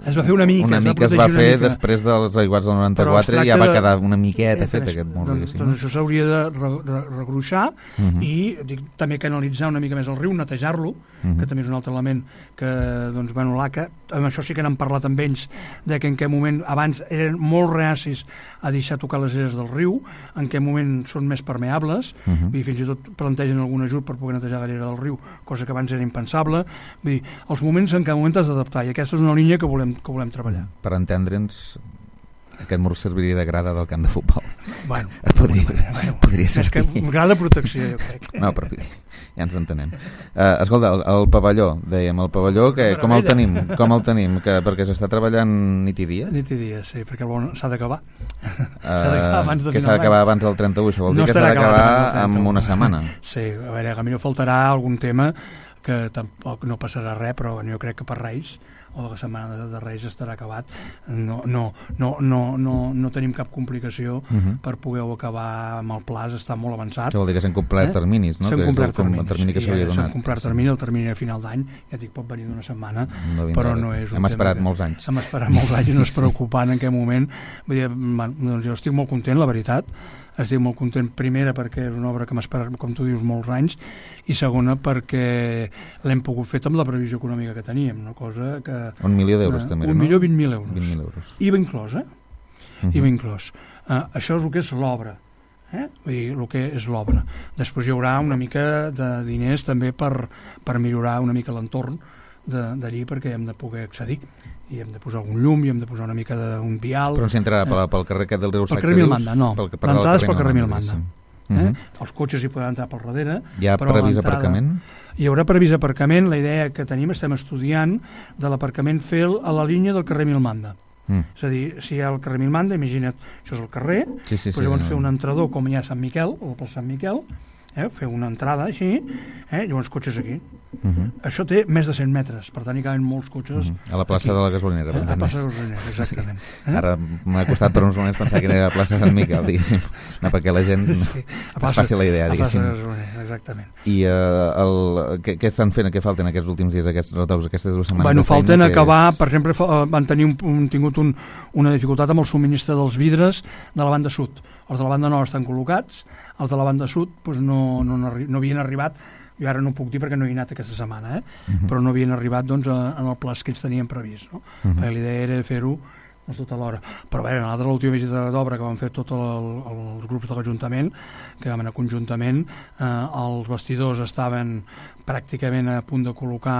S3: Es va fer una mica,
S2: una
S3: es
S2: mica
S3: va,
S2: es va fer
S3: mica.
S2: després dels aiguats del noranta-quatre i ja va quedar una miqueta de... fet
S3: doncs,
S2: aquest mur.
S3: Doncs, doncs això s'hauria de re, re, regruixar uh-huh. i dic, també canalitzar una mica més el riu, netejar-lo, uh-huh. que també és un altre element que, doncs, bueno, l'A C A, amb això sí que n'han parlat amb ells, de que en què moment, abans eren molt reacis a deixar tocar les aires del riu, en què moment són més permeables, uh-huh. i fins i tot plantegen algun ajut per poder netejar la llera del riu, cosa que abans era impensable. Vull dir, els moments en què moment has d'adaptar, i aquesta és una línia que volem, que volem treballar.
S2: Per entendre'ns, aquest mur serviria de grada del camp de futbol.
S3: Bueno,
S2: podria,
S3: bueno,
S2: podria ser.
S3: És que grada de protecció, jo crec.
S2: No, però ja ens entenem. Uh, escolta, el, el pavelló, dèiem, el pavelló, que, com el tenim? Com el tenim? Que, perquè s'està treballant nit i dia?
S3: Nit i dia, sí, perquè el bon s'ha d'acabar.
S2: Uh, s'ha d'acabar abans de que s'ha d'acabar abans del trenta-u, això vol dir
S3: no
S2: que s'ha d'acabar en una setmana.
S3: Sí, a veure, a mi no faltarà algun tema que tampoc no passarà res, però jo crec que per Reis o la setmana de, de Reis estarà acabat. No, no, no, no, no, no tenim cap complicació uh-huh. per poder-ho acabar amb el plaç, està molt avançat.
S2: Això vol dir que s'han complert eh? terminis, no?
S3: S'han complert terminis,
S2: el termini que s'havia donat.
S3: S'han complert termini, el termini a final d'any, ja dic, pot venir d'una setmana, no però no és un
S2: Hem esperat
S3: que...
S2: molts anys.
S3: Hem esperat molts anys i no és preocupant en aquest moment. Vull dir, doncs jo estic molt content, la veritat. Estic molt content, primera perquè és una obra que m'ha esperat, com tu dius, molts anys, i segona perquè l'hem pogut fer amb la previsió econòmica que teníem, una cosa que...
S2: Un milió d'euros
S3: uh,
S2: també,
S3: un
S2: no?
S3: Un milió vint mil euros.
S2: vint mil euros.
S3: I va inclòs, eh? Uh-huh. I va inclòs. Uh, això és el que és l'obra, eh? Vull dir, el que és l'obra. Després hi haurà una mica de diners també per, per millorar una mica l'entorn d'allí perquè hem de poder accedir. I hem de posar algun llum, i hem de posar una mica d'un vial...
S2: Però no s'entrarà eh? pel, pel carrer aquest del riu Sac,
S3: pel carrer Milmanda, no. L'entrada és pel carrer Milmanda. Eh?
S2: Uh-huh.
S3: Els cotxes hi poden entrar per darrere.
S2: Hi ha previst aparcament?
S3: Hi haurà previst aparcament. La idea que tenim, estem estudiant, de l'aparcament fer a la línia del carrer Milmanda. Mm. És a dir, si hi ha el carrer Milmanda, imagina't, això és el carrer,
S2: sí, sí,
S3: doncs
S2: sí,
S3: llavors
S2: no.
S3: fer un entrador com hi ha a Sant Miquel, o per Sant Miquel, eh? Fer una entrada així, eh? Llavors cotxes aquí. Uh-huh. Això té més de cent metres, per tant hi caben molts cotxes
S2: uh-huh. a la plaça aquí. De la Gasolinera,
S3: eh? A la plaça de la Gasolinera, exactament.
S2: Eh? Ara m'ha costat per uns moments pensar que era la plaça Sant Miquel, diguéssim, no, perquè la gent sí. no faci la idea, diguéssim.
S3: A la plaça de la Gasolinera, exactament.
S2: I uh, el, què, què estan fent, què falten aquests últims dies, aquests retocs, aquestes dues setmanes?
S3: Bueno, falten
S2: que...
S3: acabar, per exemple, van tenir un, un, tingut un, una dificultat amb el subministre dels vidres de la banda sud. Els de la banda nord estan col·locats, els de la banda sud doncs no, no, no, no havien arribat. Jo ara no ho puc dir perquè no he anat aquesta setmana, eh? Uh-huh. Però no havien arribat doncs, a, en el plaç que ells tenien previst, no? Uh-huh. Perquè l'idea era fer-ho doncs, tota l'hora. Però bé, a l'última visita d'obra que van fer tots el, el, els grups de l'Ajuntament, que vam anar conjuntament, eh, els vestidors estaven pràcticament a punt de col·locar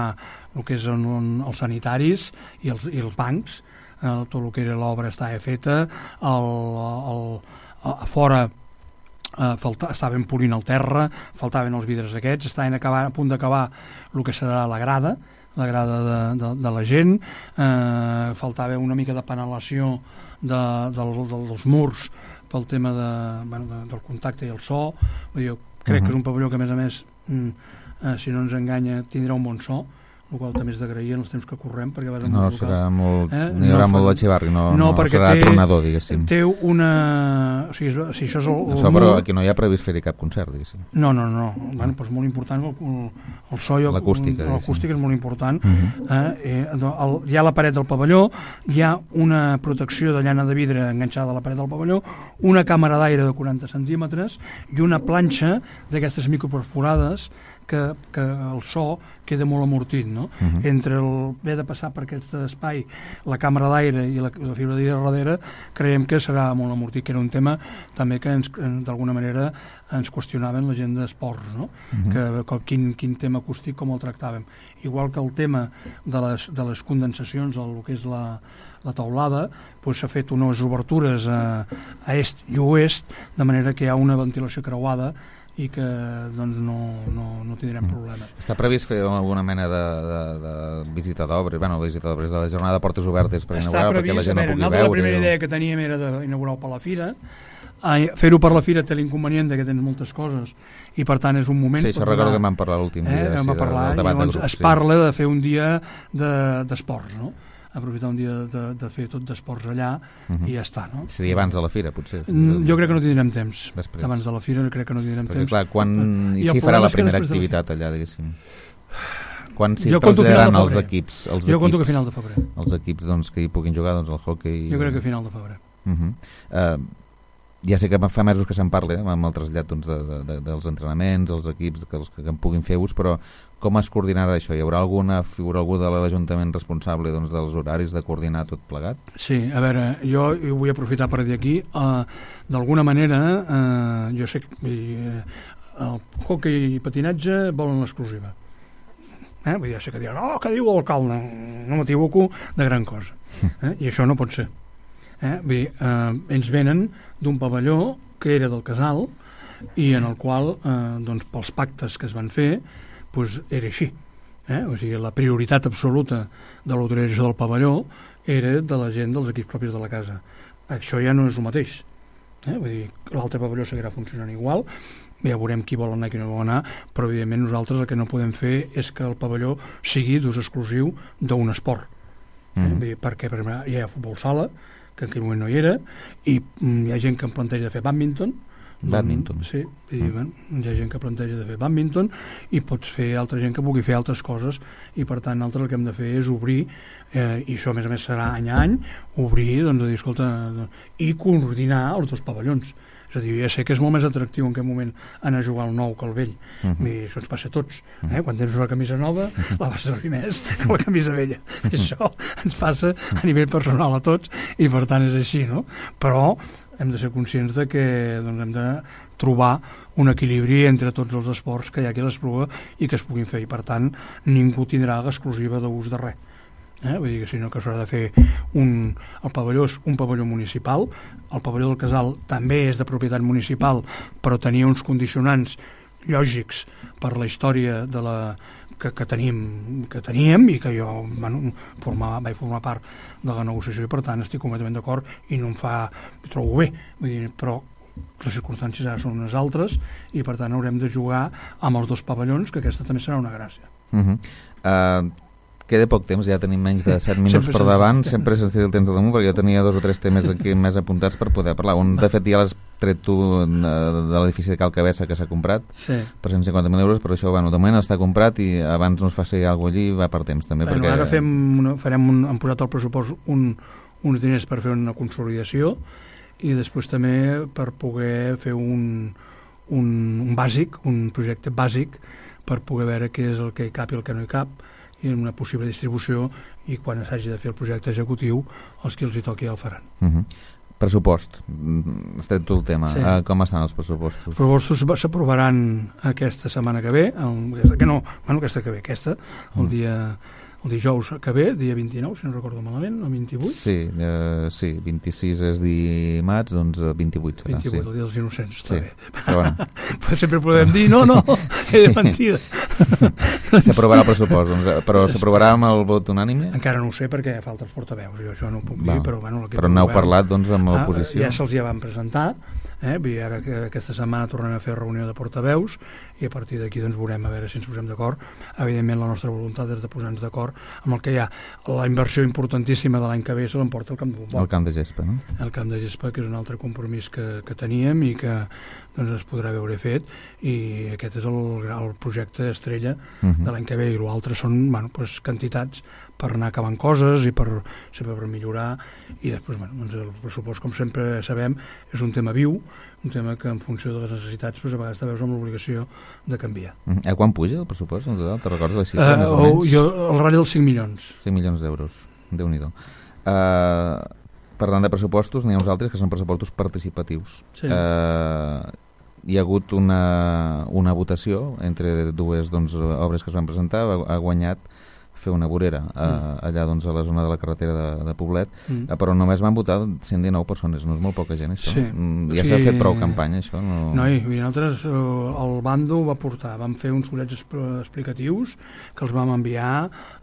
S3: el que és en, en, els sanitaris i els, i els bancs, eh, tot el que era l'obra estava feta, el, el, a, a fora Uh, falta, estaven polint el terra, faltaven els vidres aquests, estaven acabar, a punt d'acabar el que serà la grada, la grada de, de, de la gent, uh, faltava una mica de panelació de, de, de, dels murs pel tema de, bueno, de, del contacte i el so. Jo crec uh-huh. que és un pavelló que a més a més, mm, uh, si no ens enganya, tindrà un bon so, el qual també és d'agrair en els temps que correm perquè vas
S2: no, serà molt, eh? no hi haurà no, molt de xivarri no,
S3: no,
S2: no serà té, tronador, diguéssim
S3: té una... o sigui, si això és el, el
S2: això, però aquí no hi ha previst fer-hi cap concert, diguéssim
S3: no, no, no, bueno, però és molt important el, el, el so i
S2: l'acústica
S3: l'acústica és molt important uh-huh. eh, el, hi ha la paret del pavelló, hi ha una protecció de llana de vidre enganxada a la paret del pavelló, una càmera d'aire de quaranta centímetres i una planxa d'aquestes microperforades que, que el so queda molt amortit, no? Uh-huh. Entre el haver de passar per aquest espai, la càmera d'aire i la, la fibra d'aire darrere, creiem que serà molt amortit, que era un tema també que ens, d'alguna manera ens qüestionaven la gent d'esports, no? Uh-huh. que, que quin, quin tema acústic, com el tractàvem. Igual que el tema de les, de les condensacions, el que és la, la taulada, doncs s'ha fet unes obertures a, a est i oest, de manera que hi ha una ventilació creuada i que doncs, no, no, no tindrem mm. problemes.
S2: Està previst fer alguna mena de, de, de visita d'obres, bueno, visita d'obres, de la jornada de portes obertes per inaugurar, perquè la gent no pugui veure.
S3: La primera idea que teníem era d'inaugurar-ho per la fira. Fer-ho per la fira té l'inconvenient que tens moltes coses i per tant és un moment...
S2: Sí, això recordo que vam parlar l'últim dia.
S3: Eh, vam
S2: sí,
S3: parlar
S2: del, del
S3: i llavors
S2: de grup,
S3: es parla de fer un dia d'esports, de, no? Aprofitar un dia de, de fer tot d'esports allà uh-huh. i ja està, no?
S2: Seria abans de la fira, potser?
S3: Mm, jo crec que no tindrem temps.
S2: Després.
S3: Abans de la fira crec que no tindrem
S2: Perquè,
S3: temps.
S2: Clar, quan i si farà la primera activitat allà, diguéssim? Quan s'hi
S3: traslladaran
S2: els equips? Els
S3: jo
S2: equips,
S3: conto que a final de febrer.
S2: Els equips doncs, que hi puguin jugar, doncs el hockey...
S3: Jo crec que a final de febrer.
S2: Uh-huh. Uh, ja sé que fa mesos que se'n parla, eh, amb el trasllat doncs, de, de, de, dels entrenaments, els equips que, els, que en puguin fer ús, però com es coordinarà això? Hi haurà alguna figura, algú de l'Ajuntament responsable doncs, dels horaris de coordinar tot plegat?
S3: Sí, a veure, jo vull aprofitar per dir aquí, uh, d'alguna manera, uh, jo sé que uh, el hoquei i patinatge volen l'exclusiva. Eh? Vull dir, ja sé que diran, oh, què diu l'alcalde? No m'equivoco de gran cosa. Eh? I això no pot ser. Eh? Vull dir, uh, ells venen d'un pavelló que era del casal i en el qual, uh, doncs, pels pactes que es van fer, pues era així, eh? O sigui, la prioritat absoluta de l'autorització del pavelló era de la gent dels equips propis de la casa. Això ja no és el mateix, eh? Vull dir, l'altre pavelló seguirà funcionant igual, ja veurem qui vol anar i qui no vol anar, però evidentment nosaltres el que no podem fer és que el pavelló sigui d'ús exclusiu d'un esport, eh? Mm. Vull dir, perquè per exemple, hi ha futbol sala, que en aquell moment no hi era, i mm, hi ha gent que em planteja de fer badminton.
S2: Badminton.
S3: Sí, i, mm. bueno, hi ha gent que planteja de fer badminton i pots fer altra gent que pugui fer altres coses i per tant nosaltres el que hem de fer és obrir, eh, i això a més a més serà any a any, obrir, doncs, a dir, escolta, i coordinar els dos pavellons. És a dir, ja sé que és molt més atractiu en aquest moment anar a jugar al nou que al vell. Uh-huh. I això ens passa a tots. Eh? Quan tens una camisa nova, la vas servir més que la camisa vella. I això ens passa a nivell personal a tots i per tant és així, no? Però hem de ser conscients de que doncs, hem de trobar un equilibri entre tots els esports que hi ha aquí a l'Espluga i que es puguin fer. I per tant, ningú tindrà l'exclusiva d'ús de res. Eh? Vull dir que sinó que s'haurà de fer un, el pavelló és un pavelló municipal, el pavelló del Casal també és de propietat municipal però tenia uns condicionants lògics per la història de la, que, que, tenim, que teníem i que jo bueno, formava, vaig formar part de la negociació i per tant estic completament d'acord i no em fa, em trobo bé, vull dir, però les circumstàncies ara són unes altres i per tant haurem de jugar amb els dos pavellons, que aquesta també serà una gràcia.
S2: Uh-huh. uh... Queda poc temps, ja tenim menys de set minuts sempre per davant, sempre se'ns tira el temps del damunt, perquè jo tenia dos o tres temes aquí més apuntats per poder parlar. Un, de fet, ja l'has tret tu de l'edifici de Cal Cabessa que s'ha comprat
S3: sí.
S2: per cent cinquanta mil euros, però això, bueno, de moment està comprat i abans no es faci alguna cosa allí, va per temps també.
S3: Bueno,
S2: perquè...
S3: Ara fem una, farem un, hem posat al pressupost un, uns diners per fer una consolidació i després també per poder fer un, un, un bàsic, un projecte bàsic per poder veure què és el que hi cap i el que no hi cap i una possible distribució i quan s'hagi de fer el projecte executiu els que els hi toqui ja el faran.
S2: Uh-huh. Pressupost, has tret tu el tema.
S3: Sí.
S2: Uh, com estan els pressupostos?
S3: Els pressupostos s'aprovaran aquesta setmana que ve, el, que no, bueno, aquesta que ve, aquesta, el uh-huh. dia... el dijous que ve, dia vint-i-nou, si no recordo malament, o vint-i-vuit?
S2: Sí, uh, sí, vint-i-sis és dimarts, doncs vint-i-vuit serà.
S3: vint-i-vuit,
S2: sí.
S3: el dia dels innocents, està
S2: sí.
S3: bé.
S2: Però bueno.
S3: Sempre podem dir, no, no, és mentida.
S2: S'aprovarà el pressupost, doncs, però s'aprovarà amb el vot unànime?
S3: Encara no ho sé perquè falta els portaveus, jo això no ho puc dir,
S2: Va.
S3: però bueno...
S2: Però n'heu parlat, doncs, amb l'oposició?
S3: Ah, ja se'ls ja van presentar, eh? I ara que aquesta setmana tornem a fer reunió de portaveus i a partir d'aquí doncs veurem a veure si ens posem d'acord. Evidentment la nostra voluntat és de posar-nos d'acord amb el que hi ha. La inversió importantíssima de l'any que ve se l'emporta el camp de futbol.
S2: El camp de gespa, no?
S3: El camp de gespa, que és un altre compromís que, que teníem i que doncs, es podrà veure fet i aquest és el, el projecte estrella uh-huh. de l'any que ve i l'altre són bueno, pues, quantitats per anar acabant coses i per, sempre per millorar i després bueno, doncs el pressupost com sempre sabem és un tema viu un tema que en funció de les necessitats doncs, a vegades te veus amb l'obligació de canviar.
S2: Mm. A quan puja el pressupost en total? Te recordes la xifra?
S3: Uh,
S2: més o menys?
S3: Jo, el ratll dels cinc milions.
S2: cinc milions d'euros, Déu-n'hi-do. Uh, parlant de pressupostos, n'hi ha uns altres que són pressupostos participatius.
S3: Sí.
S2: Uh, hi ha hagut una, una votació entre dues doncs, obres que es van presentar, ha, ha guanyat fer una vorera a, mm. allà doncs, a la zona de la carretera de, de Poblet, mm. però només van votar cent dinou persones, no és molt poca gent això.
S3: Sí.
S2: Mm, ja
S3: sí.
S2: s'ha fet prou campanya això. No,
S3: no i nosaltres el bando ho va portar, vam fer uns fullets explicatius que els vam enviar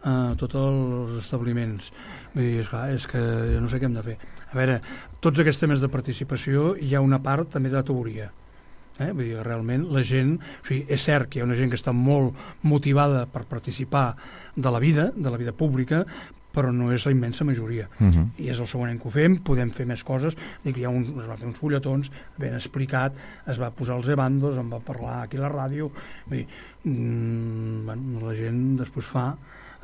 S3: a tots els establiments. Vull dir, esclar, és que jo no sé què hem de fer. A veure, tots aquests temes de participació hi ha una part també de teoria. Eh? Vull dir, realment la gent, o sigui, és cert que hi ha una gent que està molt motivada per participar de la vida, de la vida pública, però no és la immensa majoria. Uh-huh. I és el segon any que ho fem, podem fer més coses, dic, hi ha un, es va fer uns fulletons ben explicat, es va posar els ebandos, en va parlar aquí a la ràdio, vull dir, mmm, bueno, la gent després fa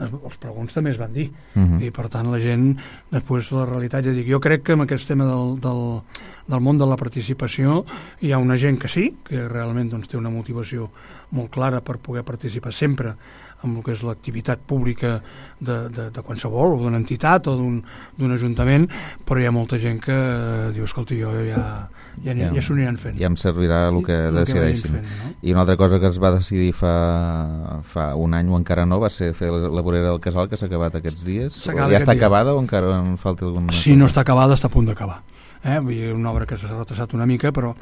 S3: els pregons també es van dir uh-huh. i per tant la gent després la realitat, ja dic, jo crec que amb aquest tema del, del, del món de la participació hi ha una gent que sí, que realment doncs, té una motivació molt clara per poder participar sempre amb el que és l'activitat pública de, de, de qualsevol, o d'una entitat o d'un ajuntament, però hi ha molta gent que eh, diu, escolta, jo ja ja, ja, ja s'ho aniran fent.
S2: Ja em servirà el que el decideixin. Que fent, no? I una altra cosa que es va decidir fa, fa un any o encara no va ser fer la vorera del Casal, que s'ha acabat aquests dies. Ja està acabada o encara en falta alguna?
S3: Si no està acabada, està a punt d'acabar. Eh? Vull dir, una obra que s'ha retrasat una mica, però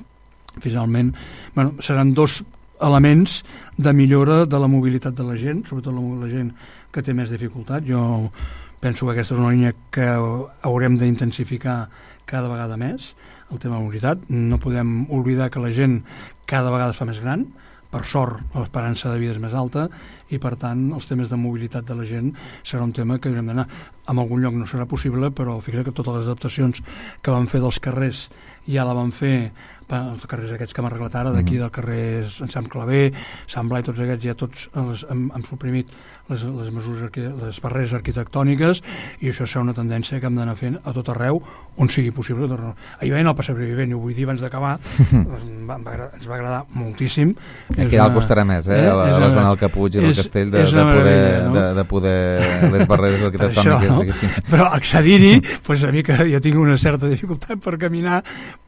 S3: finalment bueno, seran dos elements de millora de la mobilitat de la gent, sobretot la, la gent que té més dificultat. Jo penso que aquesta és una línia que haurem d'intensificar cada vegada més, el tema de la mobilitat. No podem oblidar que la gent cada vegada es fa més gran, per sort l'esperança de vida és més alta i per tant els temes de mobilitat de la gent serà un tema que haurem d'anar. En algun lloc no serà possible, però fixa't que totes les adaptacions que van fer dels carrers ja la van fer els carrers aquests que hem arreglat ara, d'aquí del carrer Sant Claver, Sant Blai, tots aquests ja tots els, hem, hem suprimit les, les mesures, les barreres arquitectòniques i això serà una tendència que hem d'anar fent a tot arreu on sigui possible. Ahir veient el Passeig Vivent, i ho vull dir abans d'acabar, ens va ens va agradar moltíssim.
S2: Aquí dalt costarà més, eh? eh? A la, a la zona del Caputx i del és, Castell de, de, poder, no? de, de poder les barreres arquitectòniques. No?
S3: Però accedir-hi, pues, a mi que jo tinc una certa dificultat per caminar,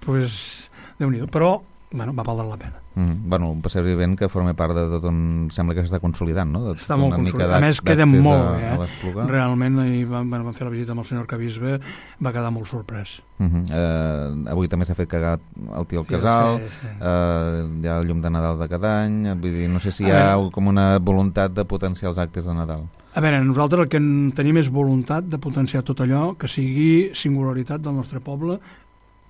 S3: pues, Déu-n'hi-do, però bueno, va valdre la pena.
S2: Mm, bueno, un Passeig Vivent que forma part de tot on sembla que s'està consolidant, no? De,
S3: està molt consolidat. A més, queda molt bé, eh? Realment, ahir van, van fer la visita amb el senyor Arquebisbe, va quedar molt sorprès.
S2: Uh -huh. uh, avui també s'ha fet cagar el tio al sí, casal, sí, sí. Uh, hi ha el llum de Nadal de cada any, vull dir, no sé si hi ha com una voluntat de potenciar els actes de Nadal.
S3: A veure, nosaltres el que tenim és voluntat de potenciar tot allò que sigui singularitat del nostre poble,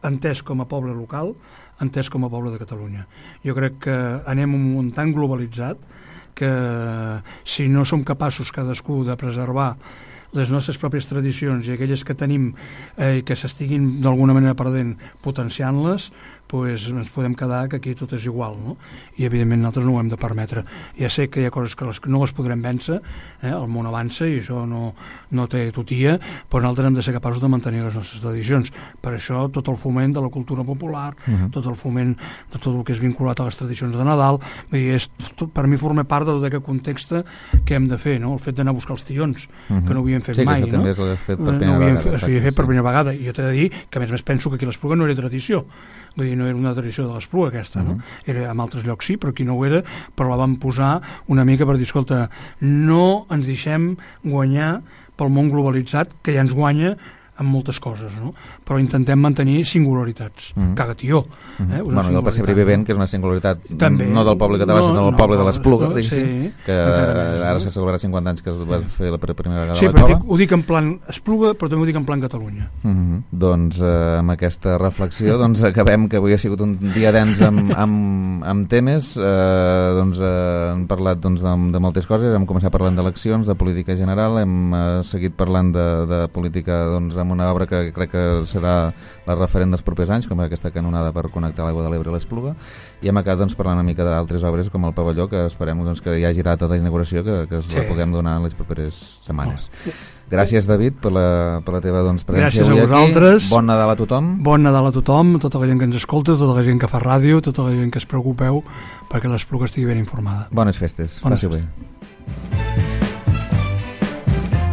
S3: entès com a poble local, entès com a poble de Catalunya. Jo crec que anem un món tan globalitzat que si no som capaços cadascú de preservar les nostres pròpies tradicions i aquelles que tenim eh, i que s'estiguin d'alguna manera perdent potenciant-les, pues ens podem quedar que aquí tot és igual, no? I evidentment nosaltres no ho hem de permetre. Ja sé que hi ha coses que les, no les podrem vèncer, eh? El món avança i això no, no té tutia, però nosaltres hem de ser capaços de mantenir les nostres tradicions. Per això tot el foment de la cultura popular, uh-huh. tot el foment de tot el que és vinculat a les tradicions de Nadal, és, tot, per mi forma part de tot aquest context que hem de fer, no? El fet d'anar a buscar els tions, uh-huh. que no ho havíem fet
S2: sí,
S3: mai,
S2: no?
S3: Sí, que
S2: això també fet per primera
S3: no
S2: vegada.
S3: Fet, s'havia fet per primera vegada, i jo t'he de dir que a més a més penso que aquí l'Espluga no era tradició. Vull dir, no era una tradició de l'Espluga aquesta, uh-huh. no? Era en altres llocs sí, però aquí no ho era, però la vam posar una mica per dir, escolta, no ens deixem guanyar pel món globalitzat, que ja ens guanya en moltes coses, no? Però intentem mantenir singularitats. Mm. Caga, tio.
S2: Mm -hmm. eh? Bueno, i el Passeig Vivent, que és una singularitat també, no del poble català, no, sinó del no, poble de l'Espluga, no, diguéssim, sí, que ara, ara s'ha celebrat cinquanta anys que es va fer la primera vegada
S3: sí,
S2: a la Cova.
S3: Sí, però ho dic en plan Espluga, però també ho dic en plan Catalunya.
S2: Mm -hmm. Doncs eh, amb aquesta reflexió doncs acabem, que avui ha sigut un dia dens amb, amb, amb temes, eh, doncs eh, hem parlat doncs, de, de moltes coses, hem començat parlant d'eleccions, de política general, hem eh, seguit parlant de, de política doncs, amb una obra que crec que serà la referent dels propers anys, com aquesta canonada per connectar l'aigua de l'Ebre a l'Espluga, i hem acabat doncs, parlant una mica d'altres obres com el pavelló, que esperem doncs, que hi hagi data d'inauguració, que, que es sí. la puguem donar en les properes setmanes. Oh. Gràcies, David, per la, per la teva doncs, presència avui aquí. Gràcies a vosaltres. Bon Nadal a tothom.
S3: Bon Nadal a tothom, tota la gent que ens escolta, tota la gent que fa ràdio, tota la gent que es preocupeu perquè l'Espluga estigui ben informada.
S2: Bones festes.
S3: Bones festes. Bé.